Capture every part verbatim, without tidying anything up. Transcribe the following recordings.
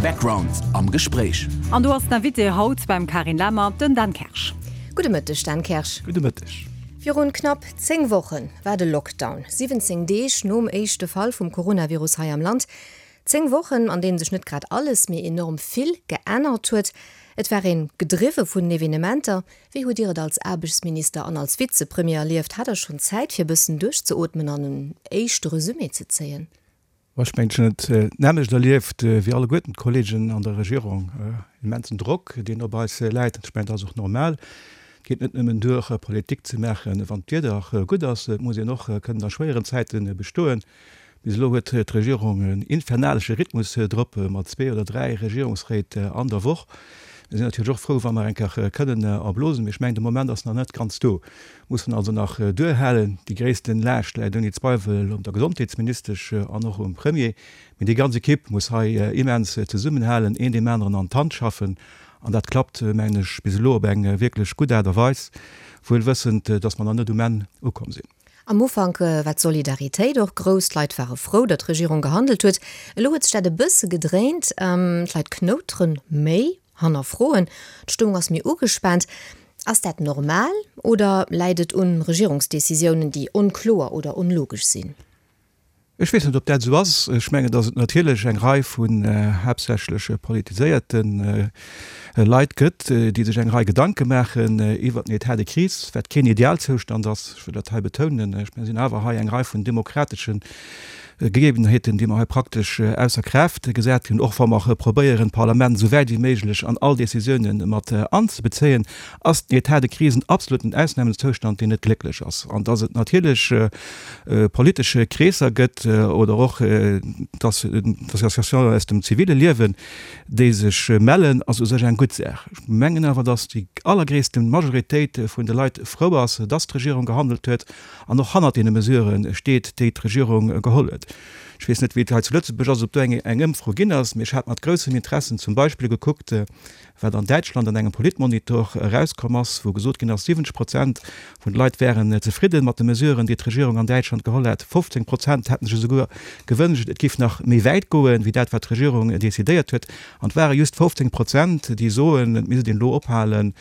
Background am Gespréich. An do ass den Invité haut beim Carine Lemmer, den Dan Kersch. Gudde Mëtteg, Dan Kersch. Gudde Mëtteg. Virun knapp zéng Woche war de Lockdown, siwwenzéng Deeg nom éischte Fall vum Coronavirus hei am Land. Zéng Wochen, an deenen sech net grad alles, mee enorm vill geännert huet. Et war een gedriwwe vun den Evenementer. Wéi hutt Dir et als Aarbechtsminister an als Vizepremier erlieft? Hat Der schonn Zäit fir e bëssen duerchzeootmen an en éischte Resumé ze zéien? Ech mengen, ech hunn et d'nämmlecht erlieft wéi alleguerten d'Kolleegen an der Regierung. Immensen Drock, deen op eis läit. Ech mengen, dat ass och normal. Et geet net nëmmen duer, Politik ze maachen, wann d'Wieder gutt ass. Et muss een och kënnen a schwéieren Zäite bestoen. Bis elo huet d'Regierung en infernalesche Rhythmus drop, mat zwee oder dräi Regierungsréit an der Woch. Mir sinn natierlech och frou, wa mer eng Kéier kënnen erblosen, mee ech mengen, de Moment ass nach net ganz do. Mussen also nach duerhalen. Déi gréissten Laascht läit ouni Zweiwel op der Gesondheetsministesch an och um Premier. Mee déi ganz Ekipp muss hei immens zesummenhalen, een deem aneren an d'Hand schaffen. An dat klappt, mengen ech, bis elo op eng wierklech gutt Aart a Weis, wuel wëssend, dass mer nach net um Enn ukomm sinn. Am Ufank war d'Solidaritéit och grouss, d'Leit ware frou, datt d'Regierung gehandelt huet. Elo huet sech dat e bësse gedréint, d'Leit knouteren méi, hannerfroen, d'Stëmmung ass méi ugespaant. Ass dat normal oder läit et un Regierungsdecisiounen, déi onkloer oder onlogesch sinn? Ech weess net, ob dat esou ass. Ech mengen, datt et natierlech eng Rei vun haaptsächlech politiséierte Leit gëtt, déi sech eng Rei Gedanke maachen iwwert den État de crise, wat keen Idealzoustand ass, ech wëll dat hei betounen. Ech mengen, et sinn awer hei eng Rei vun demokratesche Gegebenheeten, déi mer hei praktesch ausser Kraaft gesat hunn, och wa mer probéieren, d'Parlament esou wäit wéi méiglech an all Décisiounen mat anzebezéien, ass den État de crise en absoluten Ausnahmezoustand, deen net glécklech ass. An datt et natierlech politesche Kreesser gëtt oder och d'Associatiounen aus dem zivile Liewen, déi sech mellen, ass u sech eng gutt Saach. Ech mengen awer, datt déi allergréisste Majoritéit vun de Leit frou ass, datt d'Regierung gehandelt huet an och hannert deene Mesurë steet, déi d'Regierung geholl huet. Ech weess net, wéi et hei zu Lëtzebuerg ass, ob do eng eng Ëmfro ginn ass, mee ech hat mat groussem Interessen zum Beispill gekuckt, wat an Däitschland an engem Politmonitor erauskomm ass, wou gesot ginn ass, siwwenzeg Prozent vun de Leit wären zefridden mat de Mesuren, déi d'Regierung an Däitschland geholl hätt. fofzéng Prozent hätten sech esouguer gewënscht, et géif nach méi wäit goen, wéi dat, wat d'Regierung decidéiert huet. An et ware just fofzéng Prozent, déi soen, et misst een elo ophalen,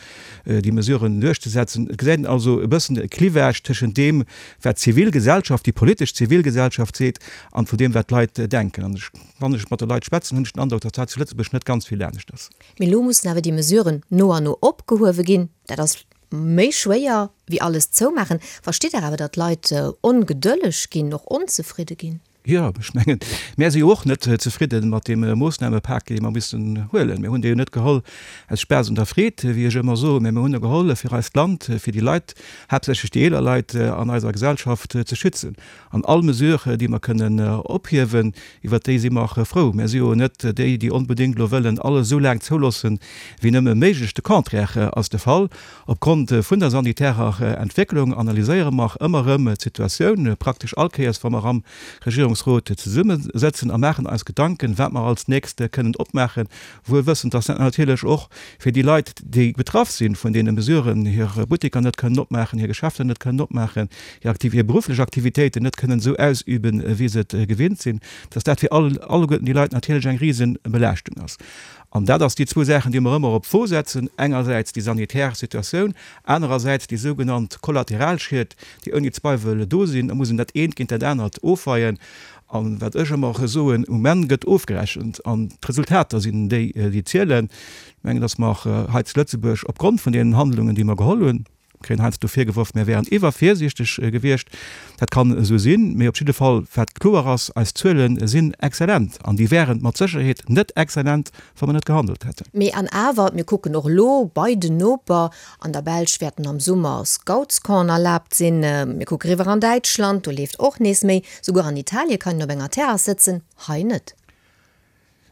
déi Mesuren duerchzesetzen. Et gesäit een also e bëssen e Clivage tëschent deem, wat d'Zivilgesellschaft, déi politesch Zivilgesellschaft seet, an vun deem, wat d'Leit denken. An ech, wann ech mat de Leit schwätzen, hunn ech den Androck, datt dat zu Lëtzebuerg net ganz vill anescht ass. Mee elo mussen awer déi Mesuren no an no opgehuewe ginn. Dat ass méi schwéier wéi alles zoumaachen. Verstitt Der awer, datt d'Leit ongedëlleg ginn, och onzefridde ginn? Jo, ech mengen, mär si jo och net zefridde mat deem Moossnamepak, dee mer missen huelen. Mir hunn dee jo net geholl aus Spaass un der Freed, wéi ech ëmmer soen, mä mir hunn e geholl, fir eist Land, fir déi Leit, haaptsächlech déi eeler Leit an eiser Gesellschaft ze schützen. An all Mesure, déi mer kënnen ophiewen, iwwert déi si mer frou. Mär si jo net déi, déi onbedéngt elo wëllen alles esou laang zouloossen, wéi nëmme méiglech. De Contraire ass de Fall. Opgrond vun der sanitärer Entwécklung analyséiere mer ëmmer erëm d'Situatioun, praktesch all Kéiers, wa mer am Regierungsrot zesummesëtzen, a maachen eis Gedanken, wat mer als nächst kënnen opmaachen, wuel wëssend, dass dat natierlech och fir déi Leit, déi betraff si vun deene Mesuren, hir Butteker net kënnen opmaachen, hir Geschäfter net kënnen opmaachen, hir Aktiv-, hir berufflech Aktivitéiten net kënnen esou ausüben, wéi se et gewinnt sinn, dass dat fir all, alleguerten déi Leit natierlech eng Risenbelaaschtung ass. An dat ass déi zwou Saachen, déi mer ëmmer op d'Wo setzen, engersäits déi sanitär Situatioun, anerersäits déi sougenannt Kollateralschied, déi ouni Zweiwel do sinn. Da muss een dat eent géint dat anert ofweien. A wat ech ëmmer soen, Um Enn gëtt ofgerechent an d'Resultater sinn déi, déi zielen. Ech mengen, datt mer hei zu Lëtzebuerg opgrond vun deenen Handlungen, déi mer geholl hunn, Mir kréien heiansdo virgeworf, mir wären iwwervirsiichteg gewiescht. Dat kann esou sinn, mee op jidde Fall, wat kloer ass, eis Zuele sinn exzellent an déi wären mat Sécherheet net exzellent, wa mer net gehandelt hätten. Mee an awer, mir kucken och elo bei den Noper, an der Belsch wäerten am Summer Scoutscampen erlaabt sinn, mir kucke riwwer an Däitschland, do leeft och nees méi, souguer an Italie kann een op enger Terrass sëtzen, hei net.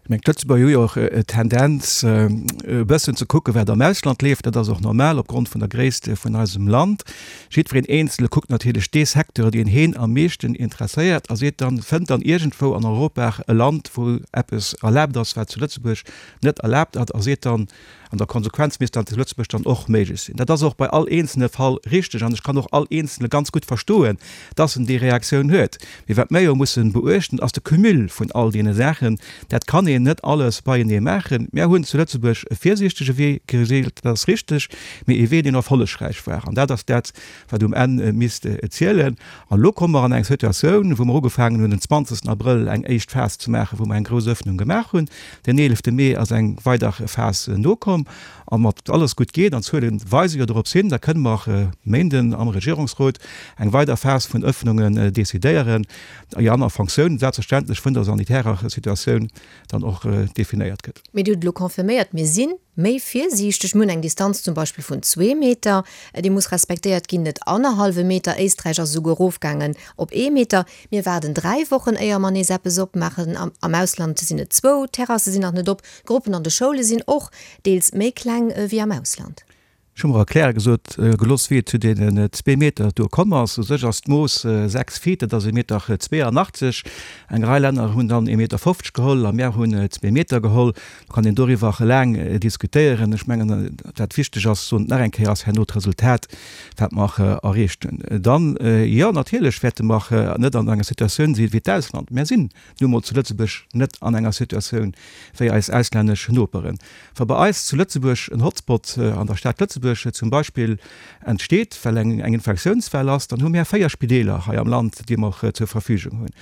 Ech mengen, d'Lëtzebuerger hu jo och d'Tendenz, e bëssen ze kucken, wat am Ausland leeft. Dat ass och normal opgrond vun der Gréisst vun eisem Land. Jiddwereen Eenzele kuckt natierlech dee Secteur, deen heen am meeschten interesséiert a seet dann, fënnt dann iergendwou an Europa e Land, wou eppes erlaabt ass, wat zu Lëtzebuerg net erlaabt ass, a seet dann, An der Konsequenz misst dat zu Lëtzebuerg dann och méiglech sinn. Dat ass och bei all eenzelne Fall richteg an ech kann och all Eenzele ganz gutt verstoen, dass en déi Reaktioun huet. Mee wat mer jo mussen beuechten, ass de Cumul vun all deene Saachen. Dat kann een een net alles beienee maachen. Mär hunn zu Lëtzebuerg e virsiichtege Wee gewielt, dat ass richteg, mee ee Wee, deen erfollegräich war. An dat ass dat, wat um Enn misst zielen. An elo komme mer an eng Situatioun, wou mer ugefaangen hunn, den zwanzegsten Abrëll eng éischt Phas ze maachen, wou mer eng grouss Öffnung gemaach hunn. Den eelefte Mee ass eng weider Phas nokomm. A mat alles gutt geet, an d'Zuele weise jo dorops hin, da kënne mer e Méinden am Regierungsrot eng weider Phas vun Öffnungen decidéieren, déi an a Fonctioun selbstverständlech vun der sanitärer Situatioun dann och definéiert gëtt. Mee Dir hutt elo confirméiert, mir si méi virsiichteg, mir hunn eng Distanz zum Beispill vun zwee Meter, déi muss respektéiert ginn, net annerhallwe Meter. Éisträich ass esouguer erofgaangen op ee Meter. Mir waarden dräi Wochen, éier mer nees eppes opmaachen. Am Ausland sinn et zwou, d'Terrasse sinn nach net op, d'Gruppen an de Schoule sinn och deels méi kleng wéi am Ausland. Ech hu mer erkläre gesot gelooss, wéi et zu deenen zwee Meter do komm ass. U sech ass d'Mooss sechs Feet, dat ass ee Meter zweeanachtzeg. Eng Rei Länner hunn dann ee Meter fofzeg geholl a mär hunn zwee Meter geholl. Do kann een doriwwer laang diskutéieren. Ech mengen, wat wichteg ass, soen et nach eng Kéier, ass herno d'Resultat, wat mer erreecht hunn. Dann, jo, natierlech wäerte mer net an enger Situatioun si wéi d'Ausland. Mär sinn nu emol zu Lëtzebuerg net an enger Situatioun wéi eis auslännesch Noperen. Wa bei eis zu Lëtzebuerg en Hotspot an der Stad Lëtzebuerg zum Beispill entsteet, well eng Infektiounswell ass, dann hu mär véier Spideeler hei am Land, déi mer zur Verfügung hunn.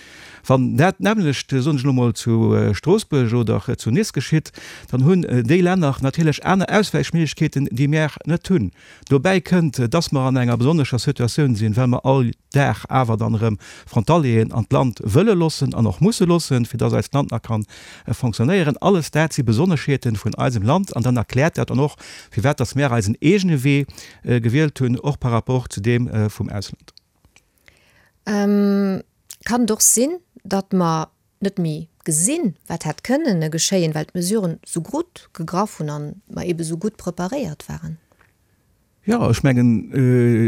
Wann dat nämmlecht, soen ech elo mol, zu Stroossbuerg oder zu Nice geschitt, dann hunn déi Länner natierlech aner Auswäichméiglechkeeten, déi mär net hunn. Dobäi kënnt, dass mer an enger besonnescher Situatioun sinn, well mer all Dag awer dann erëm Frontalieren an d'Land wëlle loossen an och musse loossen, fir dass eist Land nach ka fonctionnéieren. Alles dat si Besonneschheete vun eisem Land an dann erkläert dat dann och, firwat dass mär eisen eegene Wee gewielt hunn, och par rapport zu deem vum Ausland. Kann et och sinn, datt mer net méi gesinn, wat hätt kënnen geschéien, well d'Mesuren sou gutt gegraff hunn an mer eebe sou gutt preparéiert waren? Jo, ech mengen,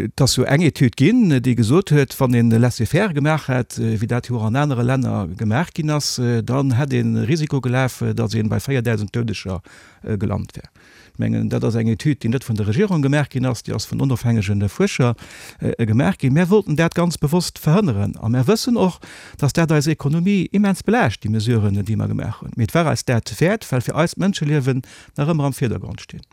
et ass jo eng Etüd ginn, déi gesot huet, wann een Laissez-faire gemaach hätt, wéi dat jo och an anere Länner gemaach ginn ass, dann hätt ee Risiko gelaf, datt ee bei véierdausend Doudeger gelant wär. Ech mengen, dat ass eng Etüd, déi net vun der Regierung gemaach ginn ass, déi ass vun onofhängege Fuerscher gemaach ginn. Mär wollten dat ganz bewosst verhënneren a mär wëssen och, datt dat eis Ekonomie immens belaascht, déi Mesuren, déi mer gemaach hunn. Mee et war eis dat wäert, well fir eis d'Mënscheliewen nach ëmmer am Virdergrond stinn.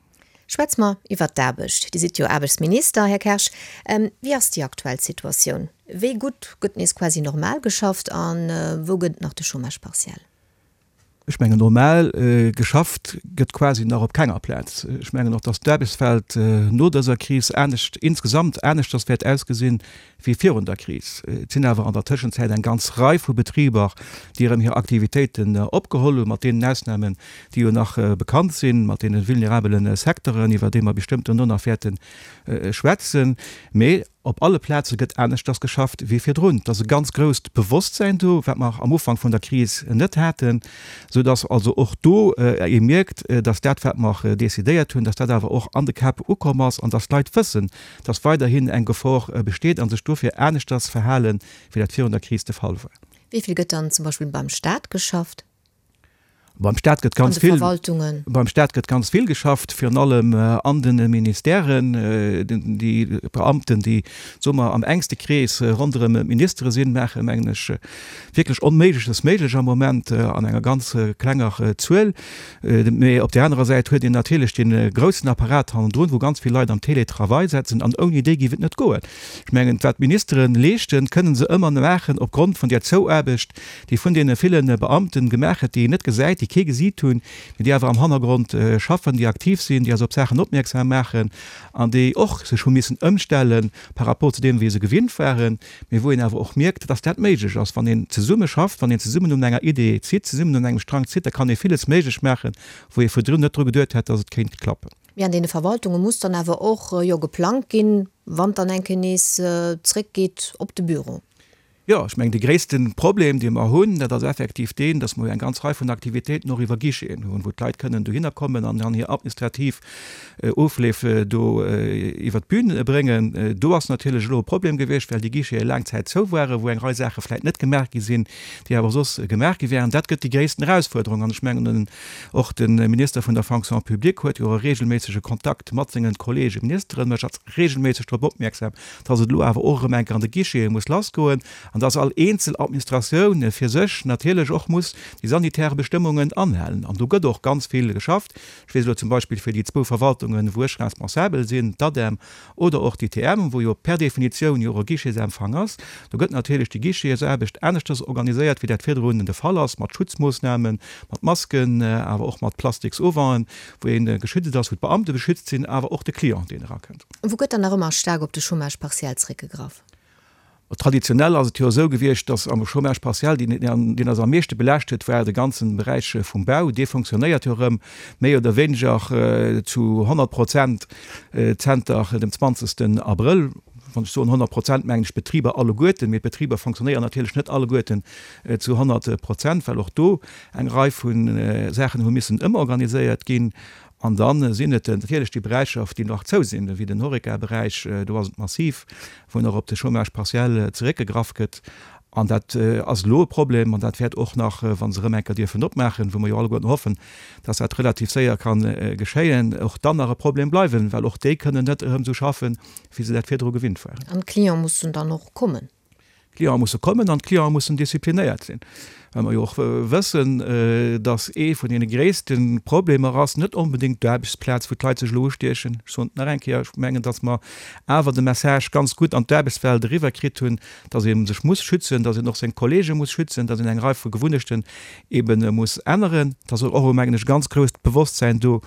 Schwätze mer iwwert d'Aarbecht. Dir sidd jo Aarbechtsminister, Här Kersch. Wéi ass déi aktuell Situatioun? Wéi gutt gëtt nees quasi normal geschafft a wou gëtt et nach de Chômage partiel? Ech mengen, normal geschafft gëtt quasi nach op kenger Plaz. Ech mengen och, datt d'Aarbechtswelt no dëser Kris anescht, insgesamt aneschters wäert ausgesinn wéi virun der Kris. Et sinn awer an der Tëschenzäit eng ganz Rei vu Betriber, déi erëm hir Aktivitéiten opgeholl hunn, mat deenen Ausnamen, déi jo nach bekannt sinn, mat deene vulnerabele Secteuren, iwwer déi mer bestëmmt duerno nach wäerte schwätzen. Mee op alle Plaze gëtt aneschters geschafft wéi virdrun. Et ass e ganz grousst Bewosstsäin do, wat mer am Ufank vun der Kris net haten, soudass also och do ee mierkt, dass dat, wat mer decidéiert hunn, dass dat awer och an de Käpp ukomm ass an dass d'Leit wëssen, dass weiderhin eng Gefor besteet a sech dofir aneschters verhalen, wéi dat virun der Kris de Fall war. Wéi vill gëtt dann zum Beispill beim Staat geschafft? Beim Staat gëtt ganz vill, beim Staat gëtt ganz vill geschafft, virun allem an de Ministèren. Déi Beamten, déi, soe mer, am enkste Krees ronderëm d'Ministere sinn, maache, mengen ech, wierklech Onméigleches méiglech am Moment an enger ganz klenger Zuel. Mee op där anerer Säit huet een natierlech dee groussen Apparat hannendrun, wou ganz vill Leit am Télétravail setzen, an ouni déi géif et net goen. Ech mengen, wat d'Ministere leeschten, kënnen se ëmmer maachen opgrond vun där Zouaarbecht, déi vun deene ville Beamten gemaach gëtt, déi een net gesäit, déi kee gesiit hunn, mee déi awer am Hannergrond schaffen, déi aktiv sinn, déi eis op Saachen opmierksam maachen an déi och sech hu missen ëmstelle par rapport zu deem, wéi se gewinnt waren, mee wou een awer och mierkt, dass dat méiglech ass, wann een zesumme schafft, wann een zesummen un enger Idee zitt, zesummen un engem Strang zitt, da kann ee villes méiglech maachen, wou ee virdrun net dru geduet hätt, dass et kéint klappen. Mee an deene Verwaltunge muss dann awer och jo geplangt ginn, wann et dann eng Kéier nees zréckgeet op de Büro. Jo, ech mengen, de gréisste Problem, dee mer hunn, dat ass effektiv deen, dass mer jo eng ganz Rei vun Aktivitéiten och iwwer Guicheten hunn, wou d'Leit kënnen dohinner kommen an dann hir administrativ Ofleef do iwwer d'Bün bréngen. Do ass natierlech elo e Problem gewiescht, well déi Guichete laang Zäit zou waren, wou eng Rei Saache vläicht net gemaach gi sinn, déi awer soss gemaach gi wären. Dat gëtt déi gréissten Erausfuerderung. An ech mengen, och de Minister vun der Fonction publique huet jo e regelméissege Kontakt mat sengen Kollege Ministeren, mécht regelméisseg drop opmierksam, dass et elo awer och erëm eng Kéier an de Guichete muss lassgoen. an dass all eenzel Administratioun fir sech natierlech och muss déi sanitär Bestëmmungen anhalen. An do gëtt och ganz vill geschafft. Ech weess elo zum Beispill fir déi zwou Verwaltungen, wou ech responsabel sinn, d'ADEM oder och d'ITM, wou jo per Definitioun jo och e Guichetempfang ass, do gëtt natierlech déi Guichetsaarbecht aneschters organiséiert, wéi dat virdrun de Fall ass, mat Schutzmoossnamen, mat Masken, awer och mat plastiks Auventen, wou ee geschützt ass, wou d'Beamte beschützt sinn, awer och de Client, deen erakënnt. Wou gëtt dann nach ëmmer staark op de Chômage partiel zréckgegraff? Traditionell ass et jo esou gewiescht, datt am Chômage partiel, deen, deen eis am meeschte belaascht huet, war de ganzen Beräich vum Bau. Dee fonctionnéiert jo erëm méi oder wéineger zu honnert Prozent zenter dem zwanzegsten Abrëll. Wann ech soen honnert Prozent, mengen ech d'Betriber alleguerten, mee d'Betriber fonctionnéieren natierlech net alleguerten zu honnert Prozent, well och do eng Rei vu Saachen hu missen ëmorganiséiert ginn. An da sinn et natierlech déi Beräicher, déi nach zou sinn, wéi den Horeca-Beräich, do ass et massiv, wou nach op de Chômage partiel zeréckgegraff gëtt. An dat ass elo e Problem an dat wäert och nach, wa se erëm eng Kéier dierfen opmaachen, wou mer jo alleguerten hoffen, dass dat relativ séier ka geschéien, och dann nach e Problem bleiwen, well och déi kënnen net erëm esou schaffen, wéi se dat virdru gewinnt waren. An d'Cliente mussen dann och kommen. D'Cliente musse kommen an d'Cliente mussen disziplinéiert sinn, well mer jo och wëssen, dass ee vun deene gréisste Problemer ass net onbedéngt d'Aarbechtsplaz, wou d'Leit sech elo ustiechen. Ech soen et nach eng Kéier, ech mengen, dass mer awer de Message ganz gutt an d'Aarbechtswelt eriwwer kritt hunn, dass ee sech muss schützen, dass een och seng Kollege muss schützen, dass een eng Rei vu Gewunnechten eebe muss änneren. Et ass och, mengen ech, e ganz grousst Bewosstsäin do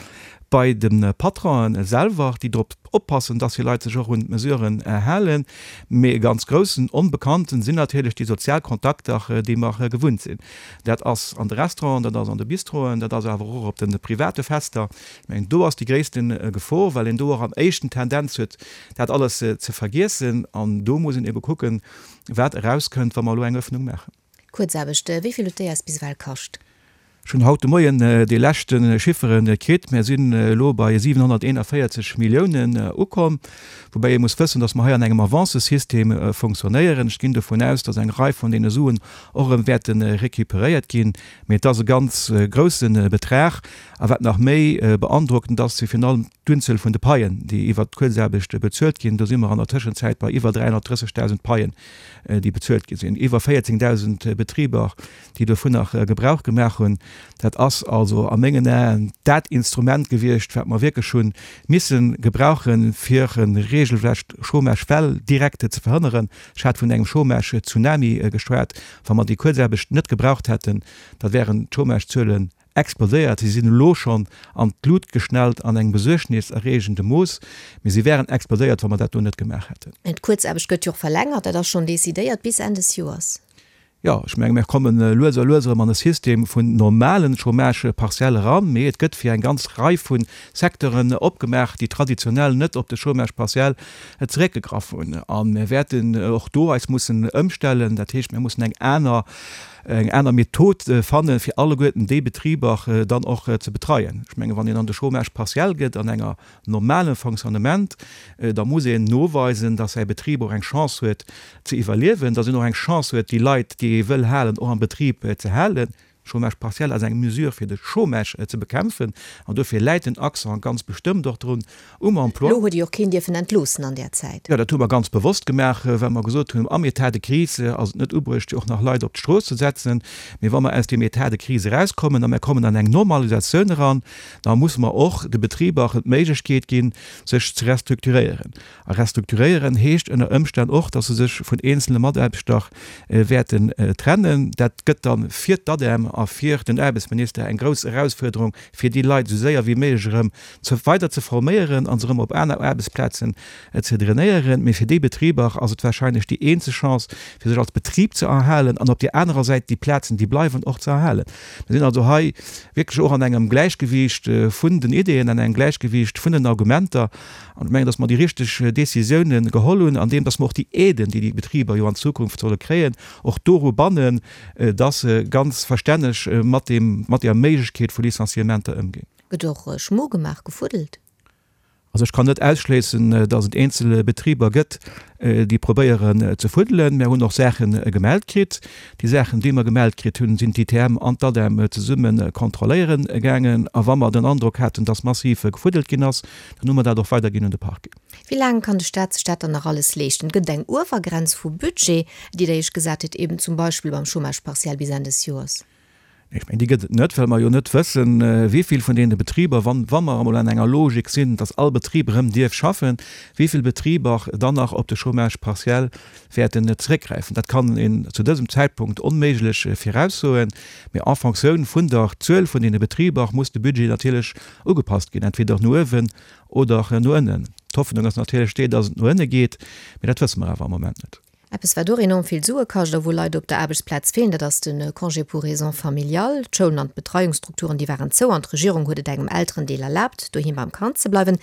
bei de Patronen selwer, déi drop oppassen, dass hir Leit sech och un d'Mesuren halen. Mee e ganz groussen Onbekannten sinn natierlech déi sozial Kontakter, déi mer gewunnt sinn. Dat ass an de Restauranten, dat ass an de Bistroen, dat ass awer och op de private Fester. Ech mengen, do ass déi gréisste Gefor, well een do och am éischten d'Tendenz huet, dat alles ze vergiessen. An do muss een ebe kucken, wat erauskënnt, wa mer elo eng Öffnung maachen. Kuerzaarbecht, wéi vill huet déi eis bis ewell kascht? Ech hunn haut de Moien déi leschte Chiffere kritt. Mir sinn elo bei siwenhonnerteenavéierzeg Milliounen ukomm, woubäi ee muss wëssen, datt mer hei an engem Avancesystem funktionéieren. Ech ginn dovun aus, datt eng Rei vun deene Suen och erëm wäerte recuperéiert ginn. Mee et ass e ganz grousse Betrag. A wat nach méi beandrockend ass, si virun allem d'Unzuel vun de Paien, déi iwwert d'Kuerzaarbecht bezuelt ginn. Do si mer an der Tëschenzäit bei iwwer dräihonnertdrëssegdausend Paien, déi bezuelt gi sinn. Iwwer véierzéngdausend Betriber, déi dovunner Gebrauch gemaach hunn. Dat ass also a mengen Aen dat Instrument gewiescht, wat mer wierklech hu misse gebrauchen, fir e regelrecht Chômage-Well direkt ze verhënneren. Ech hat vun engem Chômage-Tsunami geschwat. Wa mer déi Kuerzaarbecht net gebraucht hätten, da wären d'Chômage-Zuelen explodéiert. Si sinn elo schonn an d'Lut geschnellt an engem besuergniserreegende Mooss, mee si wären explodéiert, wa mer dat do net gemaach hätten. D'Kuerzaarbecht gëtt jo och verlängert, dat ass schonn decidéiert, bis Enn des Joers. Jo, ech menge mir komme lues a lues erëm an e System vun normalen Chômage partiel eran, mee et gëtt fir eng ganz Rei vu Secteuren opgemaach, déi traditionell net op de Chômage partiel zeréckgegraff hunn. A mir wäerten och do eis mussen ëmstellen. Dat heescht, mir mussen eng aner eng aner Method fannen, fir alleguerten déi Betriber dann och ze betreien. Ech mengen, wann een an de Chômage partiel gëtt an enger normalem Fonctionnement, da muss een noweisen, dass säi Betrib och eng Chance huet ze iwwerliewen, dass en och eng Chance huet, déi Leit, déi ee wëll halen, och am Betrib ze halen. Chômage partiel ass eng Mesure, fir de Chômage ze bekämpfen, an dofir läit den Accent ganz bestëmmt och drun um Emploi. Elo huet Dir och keen dierfen entloossen an där Zäit. Jo, dat hu mer ganz bewosst gemaach, well mer gesot hunn, am État de crise ass et net ubruecht, och nach Leit op d'Strooss ze setzen. Mee wa mer aus deem État de crise erauskommen a mer kommen an eng Normalisatioun eran, da musse mer och de Betriber d'Méiglechkeet ginn, sech ze restrukturéieren. A restrukturéieren heescht ënner Ëmstänn och, dass se sech vun eenzele Mataarbechter wäerten trennen. Dat gëtt da fir d'ADEM a fir den Aarbechtsminister eng grouss Erausfuerderung, fir déi Leit esou séier wéi méiglech erëm ze weider ze forméieren a se erëm op aner Aarbechtsplazen ze drainéieren. Mee fir déi Betriber ass et warscheinlech déi eenzeg Chance, fir sech als Betrib ze erhalen an op där anerer Säit déi Plazen, déi bleiwen, och ze erhalen. Mir sinn also hei wierklech och an engem Gläichgewiicht vun den Ideeën, an engem Gläichgewiicht vun den Argumenter. An ech mengen, dass mer déi richteg Décisiounen geholl hunn, andeem dass mer och déi Aiden, déi déi Betriber jo an Zukunft solle kréien, och doru bannen, dass se ganz verstänneg mat deem, mat där Méiglechkeet vu Licenciementer ëmginn. Gëtt och Schmo gemaach, gefuddelt? Also ech kann net ausschléissen, dass et eenzel Betriber gëtt, déi probéieren ze fuddelen. Mir hunn och Saache gemellt kritt. Déi Saachen, déi mer gemellt kritt hunn, sinn d'ITM an d'ADEM zesumme kontrolléiere gaangen. A wa mer den Androck haten, dass massiv gefuddelt ginn ass, dann hu mer dat och weiderginn un de Parquet. Wéi laang kann de Staat sech dat dann nach alles leeschten? Gëtt et eng Uewergrenz vu Budget, déi Der Iech gesat hutt, eben zum Beispill beim Chômage partiel bis Enn des Joers? Ech mengen, déi gëtt et net, well mer jo net wëssen, wéi vill vun deene Betriber, wann, wa mer emol an enger Logik sinn, dass all Betrib erëm dierf schaffen, wéi vill Betriber dann nach op de Chômage partiel wäerten zeréckgräifen. Dat kann een zu dësem Zäitpunkt onméiglech viraussoen. Mee en Fonctioun vun der Zuel vun deene Betriber muss de Budget natierlech ugepasst ginn, entweder no uewen oder no ënnen. D'Hoffnung ass natierlech déi, dass et no ënne geet, mee dat wësse mer awer am Moment net. Eppes wat och enorm vill Sue kascht a wou Leit op der Aarbechtsplaz feelen, dat ass de Congé pour raisons familiales. D'Schoulen an d'Betreiungsstrukturen, déi waren zou an d'Regierung huet et engem Elterendeel erlaabt, doheem beim Kand ze bleiwen.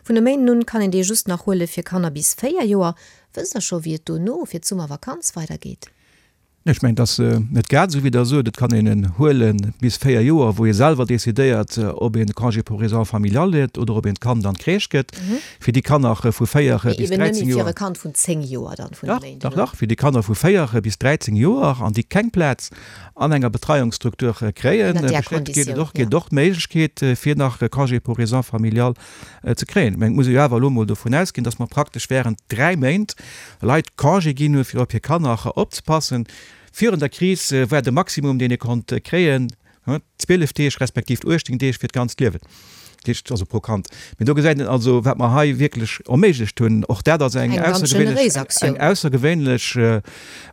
Vun e Méinden un kann een dee just nach huele fir Kanner bis véier Joer. Wësst Der scho wéi et dono fir d'Summervakanz weidergeet? Ech mengen, et ass net grad esou, wéi Der sot. Et kann een en huele bis véier Joer, wou ee selwer decidéiert, ob een de Congé pour raisons familiales huet oder ob een d'Kand an d'Crèche gëtt. Fir déi Kanner vu véier bis Eben dräizéng nëmme fir Joer. e Kand vun zéng Joer dann vun e Dach, Méinden dach, un. dach, fir déi Kanner vu véier bis dräizéng Joer an déi keng Plaz an enger Betreiungsstruktur kréien, Ënner där besteet, geet et Konditioun, och, geet ja. och d'Méiglechkeet, fir nach e Congé pour raisons familiales ze kréien. Mä et muss ee jo awer elo emol dovun ausginn, dass mer praktesch während dräi Méint Leit Congé ginn hunn, fir op hir Kanner opzepassen. Virun der Kris war de Maximum, deen ee konnt kréien, zwielef Deeg respektiv uechtzéng Deeg fir d'ganzt Liewen, dat heescht also pro Kand. Mee do gesäit een also, wat mer hei wierklech erméiglecht hunn. Och dat ass eng Eng ganz aussergewéinlech, generéis eng Aktioun. aussergewéinlech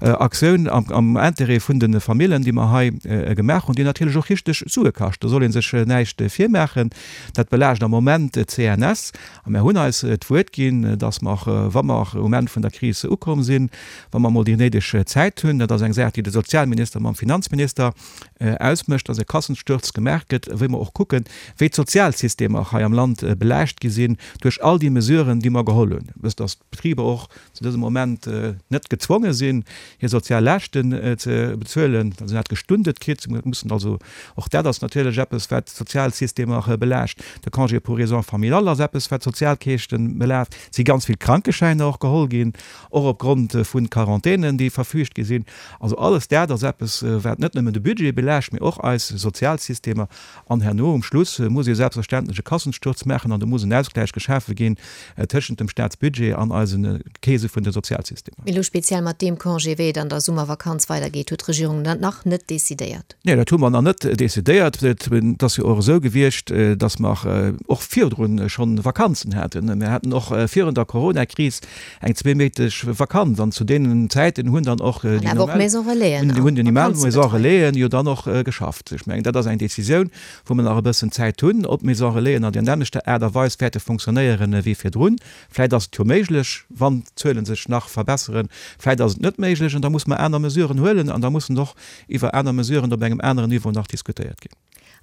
Aktioun am, am Interêt vun de Famillen, déi mer hei gemaach hunn, déi natierlech och richteg Sue kascht. Do soll ee sech näischt virmaachen. Dat belaascht am Moment d'CNS. A mir hunn eis d'Wuert ginn, dass mer, wa mer um Enn vun der Kris ukomm sinn, wa mer emol déi néideg Zäit hunn, dat ass eng Saach, déi de Sozialminister mam Finanzminister ausmécht, dass e Kassensturz gemaach gëtt, wéi mer och kucken, wéi d'Sozialsystemer hei am Land belaascht gi sinn duerch all déi Mesuren, déi mer geholl hunn. Wësst, dass d'Betriber och zu dësem Moment net gezwonge sinn, hir sozial Laaschten ze bezuelen, se hunn dat gestundet kritt, se mussen also, och dat ass natierlech eppes, wat d'Sozialsystemer belaascht. De Congé pour raisons familiales ass eppes, wat d'Sozialkäschten belaascht. Et si ganz vill Krankeschäiner och geholl ginn, och opgrond vu Quarantänen, déi verfügt gi sinn. Also alles dat ass eppes, wat net nëmmen de Budget belaascht, mee och eis Sozialsystemer. An herno um Schluss muss ee selbstverständlech e Kassensturz maachen an do muss en Ausgläich geschafe ginn tëschent dem Staatsbudget an eise Keese vun de Sozialsystemer. Mee elo speziell mat deem Congé, wéi et an der Summervakanz weidergeet, huet d'Regierung dat nach net decidéiert. Nee, dat hu mer nach net decidéiert. Et ass jo och esou gewiescht, datt mer och virdrun schonn Vakanzen haten. Mir haten och virun der Coronakris eng zweeméinteg Vakanz an zu deenen Zäiten hunn dann och déi normal hunn déi normal Maison Relaisen jo dann och geschafft. Ech mengen, dat ass eng Decisioun, wou mer nach e bëssen Zäit hunn, ob d'Maison Relaisen an där nämmlechter Aart a Weis wäerte funktionéieren wéi virdrun. Vläicht ass et jo méiglech, wann d'Zuele sech nach verbesseren. Vläicht ass et net méiglech an da musse mer aner Mesuren huelen an da mussen och iwwer aner Mesuren op engem aneren Niveau nach diskutéiert ginn.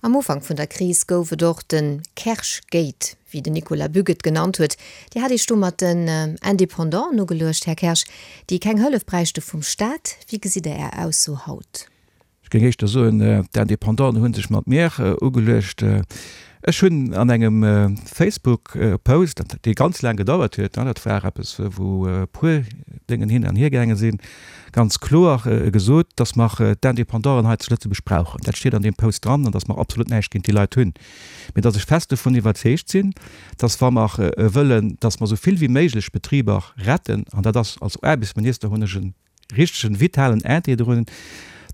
Am Ufank vun der Kris gouf et och de Kersch-Gate, wéi den Nicolas Bück et genannt huet. Dir hat Iech do mat den Indépendanten ugeluecht, Här Kersch, déi keng Hëllef bräichte vum Staat. Wéi gesitt Der Är Ausso haut? Ech géing éischter soen, d'Indépendanten hu sech mat mir ugeluecht. Ech hunn an engem Facebook-Post, dee ganz laang gedauert huet, dat war eppes, wou e puer Déngen hin an hier gaange sinn, ganz kloer gesot, dass mer d'Indépendanten hei zu Lëtzebuerg brauchen. Dat steet an deem Post dran an dass mer absolut näischt géint déi Leit hunn. Mee dass ech fest dovun iwwerzeegt sinn, dass wa mer wëllen, dass mer esou vill wéi méiglech Betriber retten, an dat ass, als Aarbechtsminister hunn ech e richtegen, vitalen Intérêt drun,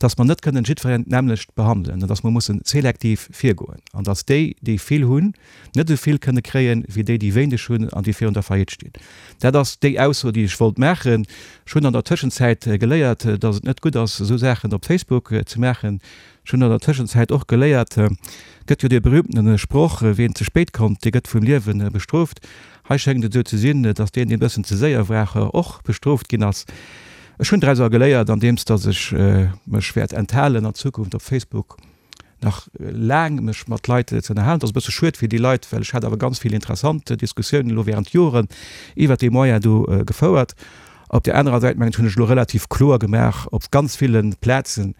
dass mer net kënnen jiddwereen d'nämmlecht behandelen an dass mer mussen selektiv virgoen an dass déi, déi vill hunn, net esou vill kënne kréien, wéi déi, déi wéineg hunn an déi virun der Faillite stinn. Dat ass déi Ausso, déi ech wollt maachen. Ech hunn an der Tëschenzäit geléiert, dass et net gutt ass, esou Saachen op Facebook ze maachen. Ech hunn an der Tëschenzäit och geléiert, gëtt jo dee berühmtene Sproch, Ween ze spéit kommt, dee gëtt vum Liewe bestrooft. Hei schéngt et esou ze sinn, dass deen, deen e bëssen ze séier war, och bestrooft ginn ass. Ech hunn draus geléiert, andeems dass ech mech wäert enthalen an Zukunft op Facebook nach laang mech mat Leit ze ënnerhalen. Dat ass e bësse schued fir déi Leit, well ech hat awer ganz vill interessant Diskussiounen elo während Joren iwwert dee Moyen do gefouert. Op där anerer Säit mengen ech hunn ech elo relativ kloer gemaach op ganz ville Plazen,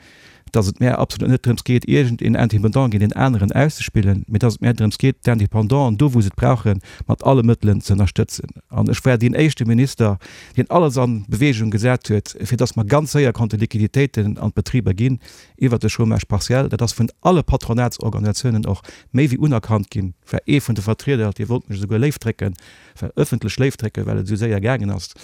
dass et mär absolut net drëms geet, iergend een Indépendant géint een aneren auszespillen, mee dass et mär drëms geet, d'Indépendanten do, wou se et brauchen, mat alle Mëttelen ze ënnerstëtzen. An ech war deen éischte Minister, deen alles a Bewegung gesat huet, fir dass mer ganz séier konnte Liquiditéiten an d'Betriber ginn iwwert de Chômage partiel. Dat ass vun alle Patronatsorganisatiounen och méi wéi unerkannt ginn. War ee vun de Vertrieder, dee wollt mech esouguer léif drécken, war ëffentlech léif drécken, well et esou séier gaangen ass.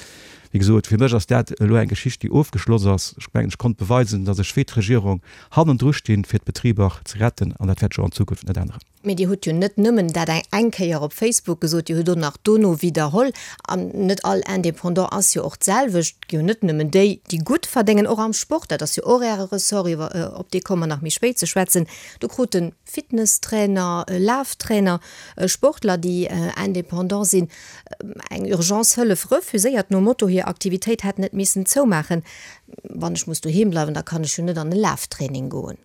Wéi gesot, fir mech ass dat elo eng Geschicht, déi ofgeschloss ass. Ech mengen, ech konnt beweisen, datt ech wéi d'Regierung hannendru stinn, fir d'Betriber ze retten, an dat wäert sech och an Zukunft net änneren. Mee Dir hutt jo net nëmmen dat eng Kéier op Facebook gesot, Dir hutt och nach dono widderholl. An net all Indépendant ass jo och d'selwecht. Et gi jo net nëmmen déi, déi gutt verdéngen, och am Sport, dat ass jo och Äre Ressort, iwwer op dee komme mer nach méi spéit ze schwätzen, do krute Fitnesstrainer, Laftrainer, Sportler, déi Indépendant sinn, eng Urgence-Hëllef refuséiert, nom Motto, hir Aktivitéit hätt net missen zoumaachen. Wann ech muss doheem bleiwen, da kann ech jo net an e Laftraining goen.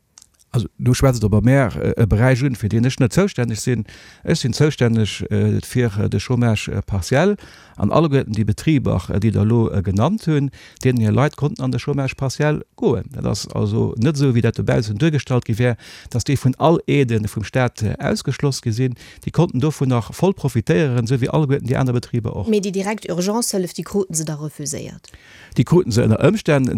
Also do schwätzt Der bei mär e Beräich un, fir deen ech net zoustänneg sinn. Ech sinn zoustänneg fir de Chômage partiel an alleguerten déi Betriber, déi Der elo genannt hunn, deenen hir Leit konnten an de Chômage partiel goen. Dat ass also net esou, wéi dat dobaussen duergestallt gi wär, dass déi vun all Aidë vum Stat ausgeschloss gi sinn. Déi konnten dovun nach voll profitéieren, esou wéi alleguerten déi aner Betriber och. Mee déi direkt Urgencehëllef, déi kruten se da refuséiert? Déi kruten se ënner Ëmstänn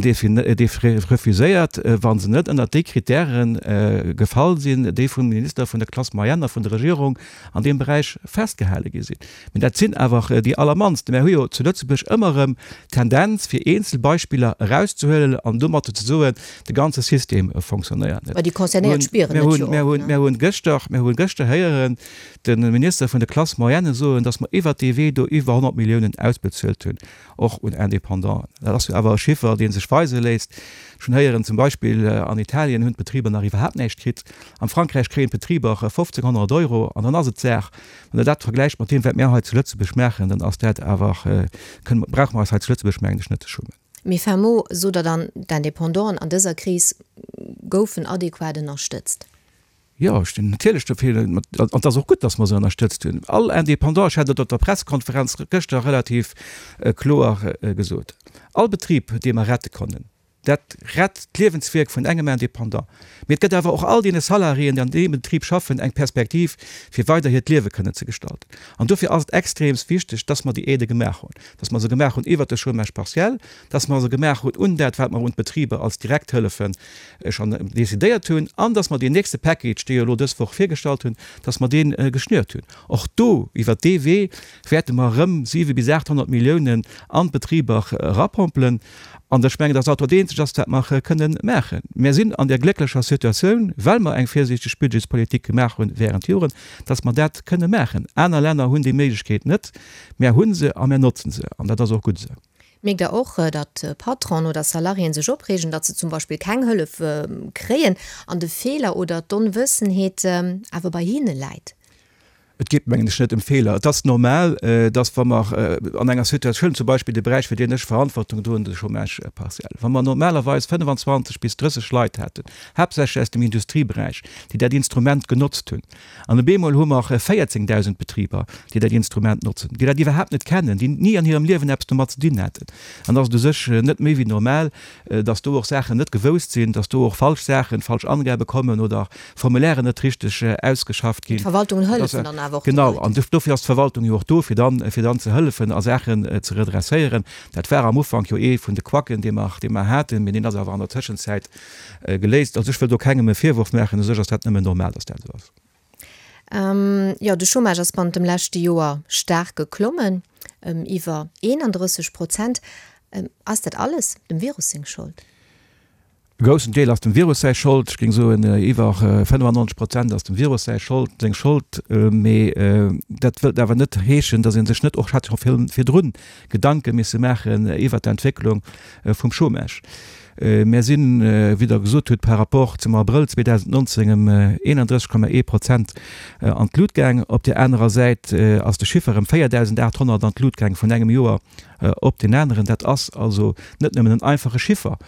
refuséiert, wa se net ënnert déi Kritäre gefall sinn, déi vum Minister vun der Classe moyenne a vun der Regierung an deem Beräich festgehale gi sinn. Mä dat sinn awer déi allermannst. Mär hu jo zu Lëtzebuerg ëmmer erëm d'Tendenz, fir eenzel Beispiller erauszehuelen an domatter ze soen, de ganze System fonctionnéiert net. Mä déi Concernéiert spieren et jo och. Mir hunn gëschter, mir hunn gëschter héieren de Minister vun der Classe moyenne soen, datt mer iwwert dee Wee do iwwer honnert Milliounen ausbezuelt hunn. Och un Indépendanten. Dat ass jo awer e Chiffer, dee sech weise léisst. Ech hunn héieren, zum Beispill an Italien hunn d'Betriber nach iwwerhaapt näischt kritt. Am Frankräich kréien d'Betriber fofzénghonnert Euro an dann ass et d'Saach. Wann Der dat vergläicht mat deem, wat mir hei zu Lëtzebuerg maachen, dann ass dat awer, kënne, brauche mer eis hei zu Lëtzebuerg, mengen ech, net ze schummen. Mee fin mot, sot Der dann, d'Indépendanten an dëser Kris goufen adequat ënnerstëtzt? Jo, ech stinn natierlech dofir, an et ass och gutt, datt mer se ënnerstëtzt hunn. All Indépendant, ech hat et op der Pressekonferenz gëschter relativ kloer gesot, all Betrib, dee mer rette konnen, dat rett d'Liewenswierk vun engem Indépendant, mee et gëtt awer och all deene Salariéen, déi an deem Betrib schaffen, eng Perspektiv, fir weider hiert Liewe kënnen ze gestalten. An dofir ass et extreemst wichteg, datt mer déi Aidë gemaach hunn, datt mer se gemaach hunn iwwert de Chômage partiel, datt mer se gemaach hunn un dat, wat mer un d'Betriber als Direkthëllefen schonn decidéiert hunn an dass mer deen nächste Package, dee jo elo dës Woch virgestallt hunn, dass mer dee geschnürt hunn. Och do, iwwert dee Wee, wäerte mer erëm siwe bis aathonnert Milliounen an d'Betriber erapompelen. An ech mengen, dass dat dat Eenzegt ass, wat mer kënnen maachen. Mir sinn an där glécklecher Situatioun, well mer eng virsiichteg Budgetspolitik gemaach hunn während Joren, dass mer dat kënne maachen. Aner Länner hunn déi Méiglechkeet net. Mär hu se a mär notzen se. An dat ass och gutt esou. Mierkt Der och, datt Patronen oder Salariéen sech opreegen, datt se zum Beispill keng Hëllef kréien an de Feeler oder d'Onwëssenheet awer bei hinne läit? Et geet, mengen ech, net ëm Feeler. Et ass normal, datt wa mer an enger Situatioun, zum Beispill de Beräich, fir deen ech Verantwortung droen, de Chômage partiel, wa mer normalerweis fënnefenzwanzeg bis drësseg Leit hätten, haaptsächlech aus dem Industrieberäich, déi dat Instrument genotzt hunn, an op eemol hu mer véierzéngdausend Betriber, déi dat Instrument notzen, déi dat iwwerhaapt net kennen, déi ni an hirem Liewen eppes domat ze dinn haten, dann ass et u sech net méi wéi normal, dass do och Saachen net gewousst sinn, dass do och falsch Saachen, falsch Angabe kommen oder Formulairen net richteg ausgeschafft ginn. D'Verwaltungen hëllefen dann awer och de Genau, Leit. an dofir ass d'Verwaltung jo och do, fir dann, fir dann ze hëllefen a Saachen ze redresséieren. Dat war am Ufank jo ee vun de Quacken, dee mer, dee mer haten, mee deen ass awer an der Tëschenzäit geléist. Also ech wëll do kengem e Virwurf maachen, u sech ass dat nëmmen normal, dass dat esou ass. Jo, de Chômage ass bannent dem leschte Joer staark geklommen, ëm iwwer eenandrësseg Prozent. Ass dat alles dem Virus seng Schold? E groussen Deel ass dem Virus säi Schold. Ech géing soen, iwwer fënnefannonzeg Prozent ass dem Virus säi Schold, seng Schold. Mee dat wëllt awer net heeschen, datt ee sech net och hätt scho virdrun Gedanke misse maachen iwwert d'Entwécklung vum Chômage. Mär sinn, wéi Der gesot hutt, par rapport zum Abrëll zweedausendnonzéng ëm eenandrësseg Komma ee Prozent an d'Lut gaang. Op där anerer Säit ass de Chiffer ëm véierdausendaathonnert an d'Lut gaang vun engem Joer op deen aneren. Dat ass also net nëmmen en einfache Chiffer.